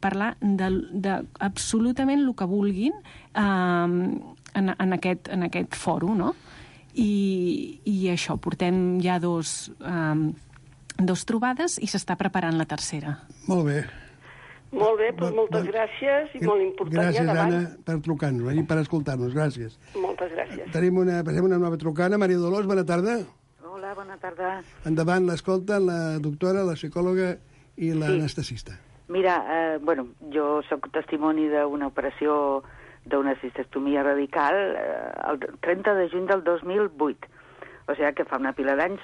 parlar d'absolutament el que vulguin en aquest fòrum, no? I això, portem ja 2 trobades i s'està preparant la tercera. Molt bé. Molt bé, doncs moltes gràcies i molt important. Gràcies, Anna, per trucar-nos i per escoltar-nos. Gràcies. Moltes gràcies. Passem una nova trucana. Maria Dolors, bona tarda. Hola, bona tarda. Endavant, l'escolta la doctora, la psicòloga i l'anestesista. Mira, jo sóc testimoni d'una operació d'una cistectomia radical el 30 de juny del 2008. O sigui que fa una pila d'anys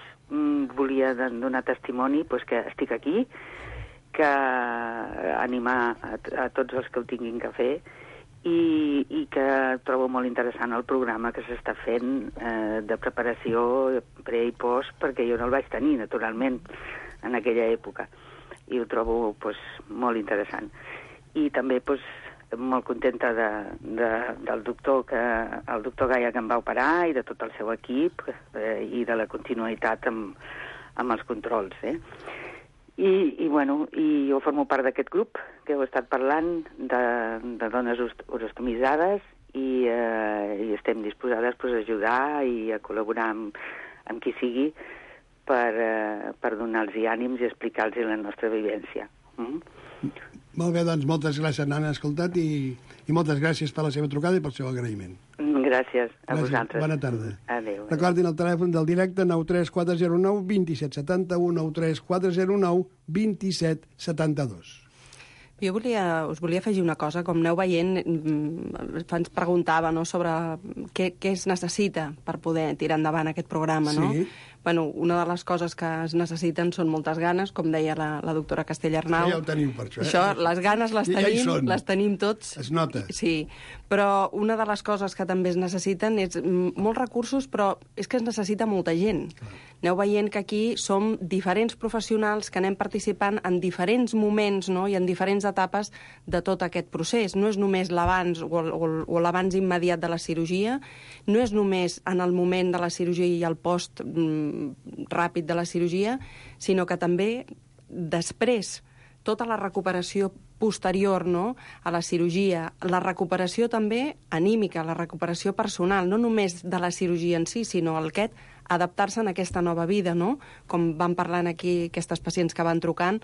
volia donar testimoni que estic aquí, que animar a tots els que ho tinguin que fer i que trobo molt interessant el programa que s'està fent de preparació pre i post, perquè jo no el vaig tenir, naturalment, en aquella època. I ho trobo molt interessant. I també molt contenta del doctor el doctor Gaia, que em va operar, i de tot el seu equip, i de la continuïtat amb els controls. I jo formo part d'aquest grup que heu estat parlant de dones urostomitzades i estem disposades a ajudar i a col·laborar amb qui sigui per donar-los ànims i explicar-los la nostra vivència. Molt bé, doncs moltes gràcies, Nana, escoltat, i moltes gràcies per la seva trucada i pel seu agraïment. Gràcies a vosaltres. Bona tarda. Adéu. Recordin el telèfon del directe 93409 2771, 93409 2772. Jo us volia afegir una cosa. Com aneu veient, ens preguntava sobre què es necessita per poder tirar endavant aquest programa, no? Sí. Una de les coses que es necessiten són moltes ganes, com deia la doctora Castellarnau. Ja ho tenim per això. Les ganes les tenim, les tenim tots. Es nota. Sí, però una de les coses que també es necessiten és molts recursos, però és que es necessita molta gent. Clar. Aneu veient que aquí som diferents professionals que anem participant en diferents moments, no?, i en diferents etapes de tot aquest procés. No és només l'abans o l'abans immediat de la cirurgia, no és només en el moment de la cirurgia i el post ràpid de la cirurgia, sinó que també després tota la recuperació posterior, no?, a la cirurgia, la recuperació també anímica, la recuperació personal, no només de la cirurgia en si, sinó adaptar-se en aquesta nova vida, no? Com van parlant aquí aquestes pacients que van trucant,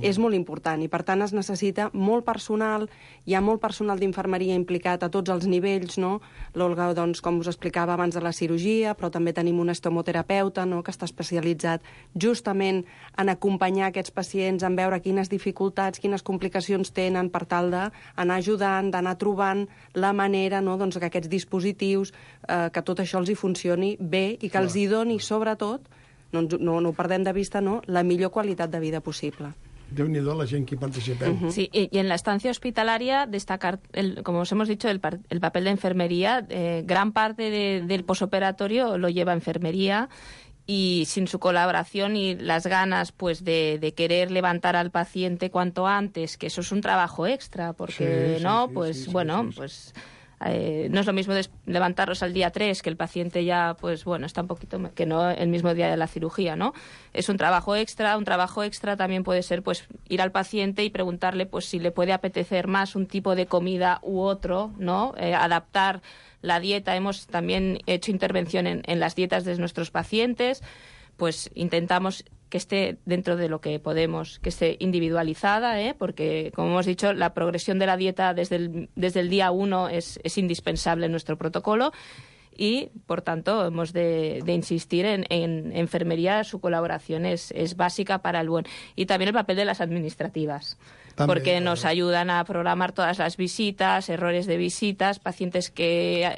és molt important i per tant es necessita molt personal, hi ha molt personal d'infermeria implicat a tots els nivells, no? L'Olga, doncs, com us explicava abans de la cirurgia, però també tenim un estomoterapeuta, no?, que està especialitzat justament en acompanyar aquests pacients, en veure quines dificultats, quines complicacions tenen per tal d'anar ajudant, d'anar trobant la manera, no?, doncs, que aquests dispositius, que tot això els hi funcioni bé i que els hi doni, sobretot, no ho perdem de vista, no?, la millor qualitat de vida possible. Déu-n'hi-do la gent que hi participeu. Sí, y en la estancia hospitalaria destacar, como os hemos dicho, el papel de enfermería. Gran parte del posoperatorio lo lleva enfermería y sin su colaboración y las ganas pues de querer levantar al paciente cuanto antes, que eso es un trabajo extra, porque no es lo mismo levantarlos al día 3, que el paciente ya, pues bueno, está un poquito, que no el mismo día de la cirugía, ¿no? Es un trabajo extra. Un trabajo extra también puede ser, pues, ir al paciente y preguntarle, pues, si le puede apetecer más un tipo de comida u otro, ¿no? Adaptar la dieta. Hemos también hecho intervención en las dietas de nuestros pacientes, pues intentamos que esté dentro de lo que podemos, que esté individualizada, porque, como hemos dicho, la progresión de la dieta desde el día 1 es indispensable en nuestro protocolo y, por tanto, hemos de insistir en enfermería. Su colaboración es básica para el buen. Y también el papel de las administrativas. También, porque nos ayudan a programar todas las visitas, errores de visitas, pacientes que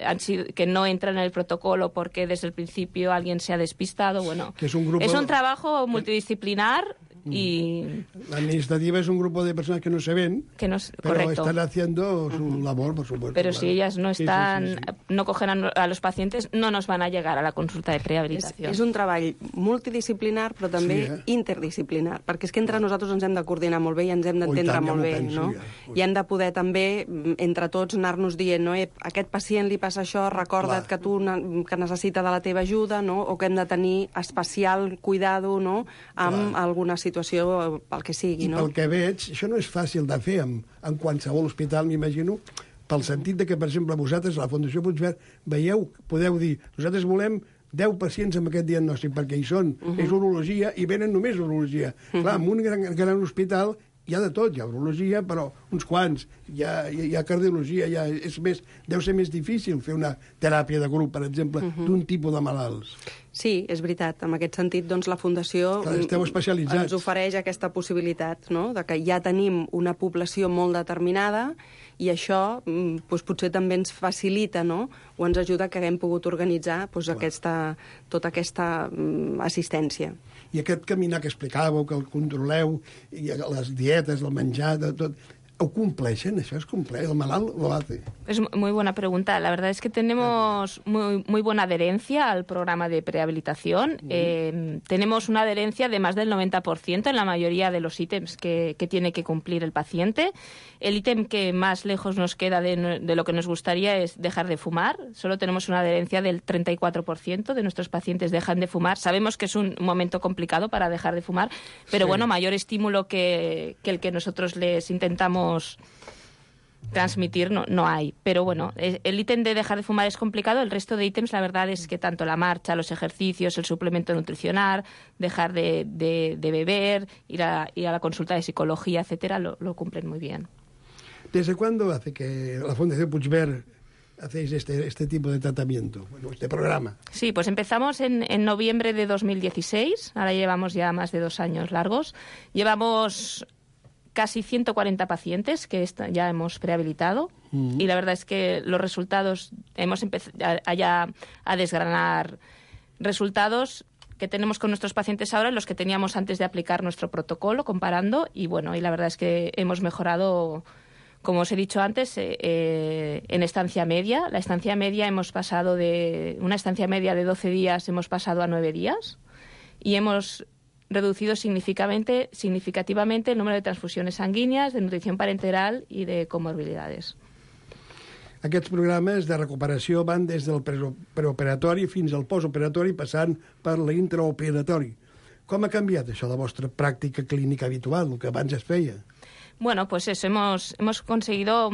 no entran en el protocolo porque desde el principio alguien se ha despistado. Bueno, es un trabajo multidisciplinar y... La administrativa es un grupo de personas que no se ven, pero correcto, están haciendo su labor, por supuesto. Pero si ellas no están, no cogen a los pacientes, no nos van a llegar a la consulta de prehabilitació. És un treball multidisciplinar, però també interdisciplinar, perquè és que entre nosaltres ens hem de coordinar molt bé i ens hem d'entendre molt bé, no? I hem de poder també, entre tots, anar-nos dient, no? Aquest pacient li passa això, recorda't que tu que necessita de la teva ajuda, no? O que hem de tenir especial cuidado, no?, amb alguna situació, pel que sigui, no? I pel que veig, això no és fàcil de fer en qualsevol hospital, m'imagino, pel sentit de que, per exemple, vosaltres, a la Fundació Puigverd, podeu dir, nosaltres volem 10 pacients amb aquest diagnòstic, perquè hi són, és urologia, i venen només urologia. Clar, en un gran hospital hi ha de tot, hi ha urologia, però uns quants, hi ha cardiologia, deu ser més difícil fer una teràpia de grup, per exemple, d'un tipus de malalts. Sí, és veritat. En aquest sentit, doncs, la Fundació ens ofereix aquesta possibilitat, no?, de que ja tenim una població molt determinada i això doncs, potser també ens facilita, no?, o ens ajuda que haguem pogut organitzar doncs, tota aquesta assistència. I aquest caminar que explicàveu, que el controleu, i les dietes, el menjar, tot... ¿O compleixen? ¿Eso es cumplir? ¿El malalt lo hace? Es muy buena pregunta. La verdad es que tenemos muy buena adherencia al programa de prehabilitación. Tenemos una adherencia de más del 90% en la mayoría de los ítems que tiene que cumplir el paciente. El ítem que más lejos nos queda de lo que nos gustaría es dejar de fumar. Solo tenemos una adherencia del 34% de nuestros pacientes dejan de fumar. Sabemos que es un momento complicado para dejar de fumar, pero bueno, mayor estímulo que el que nosotros les intentamos transmitir no hay. Pero bueno, el ítem de dejar de fumar es complicado. El resto de ítems, la verdad es que tanto la marcha, los ejercicios, el suplemento nutricional, dejar de beber, ir a la consulta de psicología, etcétera, lo cumplen muy bien. ¿Desde cuándo hace que la Fundación Puigverd hacéis este tipo de tratamiento, este programa? Sí, pues empezamos en noviembre de 2016. Ahora llevamos ya más de 2 años largos. Llevamos casi 140 pacientes que ya hemos prehabilitado y la verdad es que los resultados, hemos empezado ya a desgranar resultados que tenemos con nuestros pacientes ahora y los que teníamos antes de aplicar nuestro protocolo, comparando, y bueno, y la verdad es que hemos mejorado, como os he dicho antes, en estancia media. La estancia media hemos pasado de una estancia media de 12 días, hemos pasado a 9 días y hemos reducido significativamente el número de transfusiones sanguíneas, de nutrición parenteral i de comorbilidades. Aquests programes de recuperació van des del preoperatori fins al postoperatori, passant per l'intraoperatori. Com ha canviat això la vostra pràctica clínica habitual, el que abans es feia? Bueno, pues eso, hemos conseguido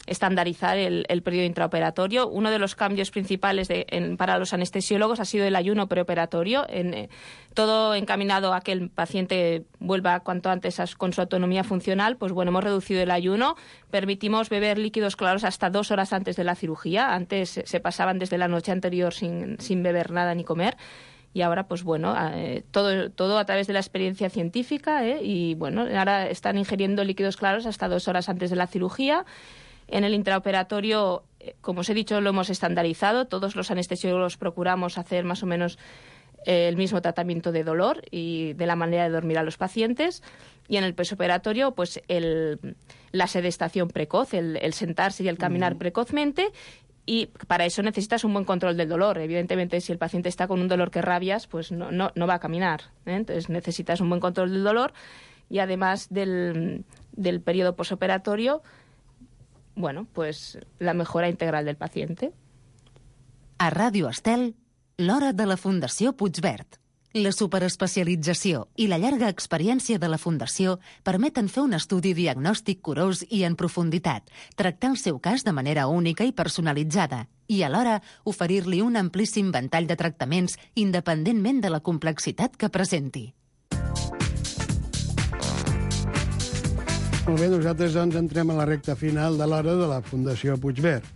estandarizar el periodo intraoperatorio. Uno de los cambios principales para los anestesiólogos ha sido el ayuno preoperatorio, todo encaminado a que el paciente vuelva cuanto antes con su autonomía funcional. Pues bueno, hemos reducido el ayuno, permitimos beber líquidos claros hasta 2 horas antes de la cirugía. Antes se pasaban desde la noche anterior sin beber nada ni comer. Y ahora, pues bueno, todo a través de la experiencia científica, y bueno, ahora están ingiriendo líquidos claros hasta 2 horas antes de la cirugía. En el intraoperatorio, como os he dicho, lo hemos estandarizado. Todos los anestesiólogos procuramos hacer más o menos el mismo tratamiento de dolor y de la manera de dormir a los pacientes. Y en el posoperatorio, pues la sedestación precoz, el sentarse y el caminar precozmente. Y para eso necesitas un buen control del dolor. Evidentemente, si el paciente está con un dolor que rabias, pues no va a caminar, ¿eh? Entonces necesitas un buen control del dolor y además del periodo posoperatorio, bueno, pues la mejora integral del paciente. A Ràdio Estel, l'hora de la Fundació Puigverd. La superespecialització i la llarga experiència de la Fundació permeten fer un estudi diagnòstic curós i en profunditat, tractar el seu cas de manera única i personalitzada i, alhora, oferir-li un amplíssim ventall de tractaments independentment de la complexitat que presenti. Molt bé, nosaltres doncs entrem a la recta final de l'hora de la Fundació Puigverd.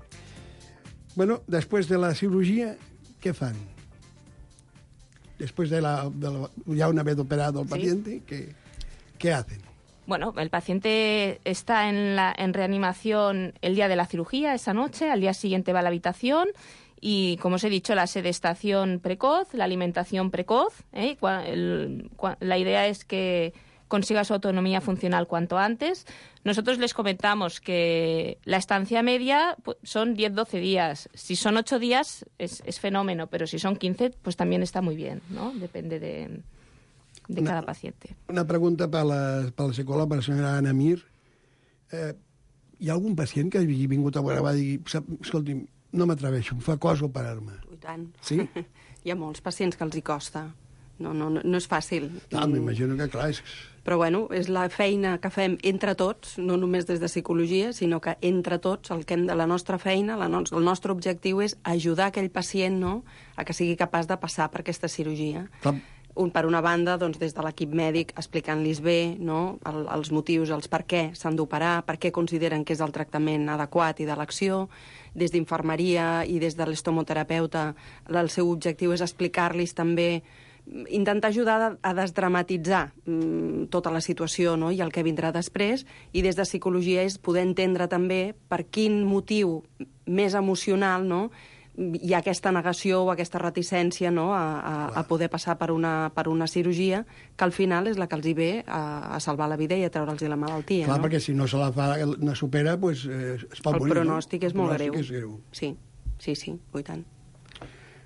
Bueno, després de la cirurgia, què fan? Después de ya una vez operado el paciente, ¿qué hacen? Bueno, el paciente está en reanimación el día de la cirugía, esa noche, al día siguiente va a la habitación y, como os he dicho, la sedestación precoz, la alimentación precoz. La idea es que consiga su autonomía funcional cuanto antes. Nosotros les comentamos que la estancia media son 10-12 días. Si son 8 días es fenómeno, pero si son 15, pues también está muy bien, ¿no? Depende de cada paciente. Una pregunta per la psicòloga, per la senyora Anna Mir. Hi ha algun pacient que hagi vingut a veure i dir, escolti'm, no m'atreveixo, em fa cosa operar-me? I tant. Sí? Hi ha molts pacients que els hi costa. No és fàcil. M'imagino que, clar, Però, bueno, és la feina que fem entre tots, no només des de psicologia, sinó que entre tots, la nostra feina, el nostre objectiu és ajudar aquell pacient, no?, a que sigui capaç de passar per aquesta cirurgia. Per una banda, doncs, des de l'equip mèdic, explicant-los bé, no?, els motius, els per què s'han d'operar, per què consideren que és el tractament adequat i d'elecció. Des d'infermeria i des de l'estomoterapeuta, el seu objectiu és explicar-los també, intentar ajudar a desdramatitzar tota la situació, no?, i el que vindrà després, i des de psicologia és poder entendre també per quin motiu més emocional, no?, hi ha aquesta negació o aquesta reticència, no?, a poder passar per una cirurgia que al final és la que els hi ve a salvar la vida i a treure'ls la malaltia. Clar, perquè si no se la fa, no supera, doncs es pot morir. El pronòstic és molt greu. Sí, i tant.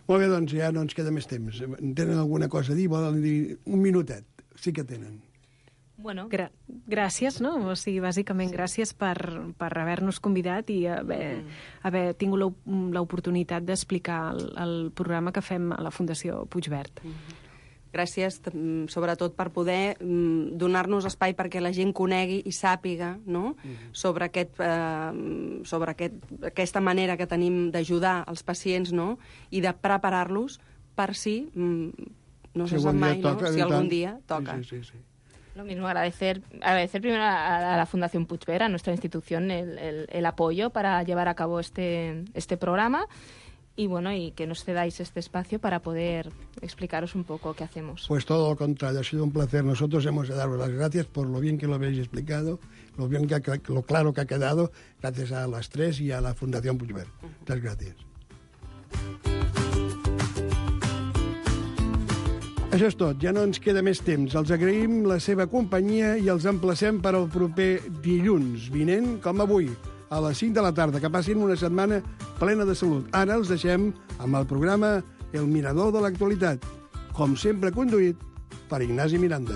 Molt bé, doncs ja no ens queda més temps. Tenen alguna cosa a dir? Volen dir un minutet? Sí que tenen. Bueno, gràcies, no? O sigui, bàsicament gràcies per haver-nos convidat i haver tingut l'oportunitat d'explicar el programa que fem a la Fundació Puigverd. Gràcies, sobretot, per poder donar-nos espai perquè la gent conegui i sàpiga, no?, sobre aquesta manera que tenim d'ajudar els pacients, no?, i de preparar-los per si, no se sap mai, no?, si algun dia toca. Sí. Lo mismo, agradecer primero a la Fundación Puigverd, a nuestra institución, el apoyo para llevar a cabo este programa. Y bueno, y que nos cedáis este espacio para poder explicaros un poco qué hacemos. Pues todo lo contrario, ha sido un placer. Nosotros hemos de daros las gracias por lo bien que lo habéis explicado, lo claro que ha quedado, gracias a las tres y a la Fundación Puigverd. Muchas gracias. Això és tot, ja no ens queda més temps. Els agraïm la seva companyia i els emplacem per al proper dilluns vinent, com avui, a les 5 de la tarda, que passin una setmana plena de salut. Ara els deixem amb el programa El Mirador de l'Actualitat, com sempre conduït per Ignasi Miranda.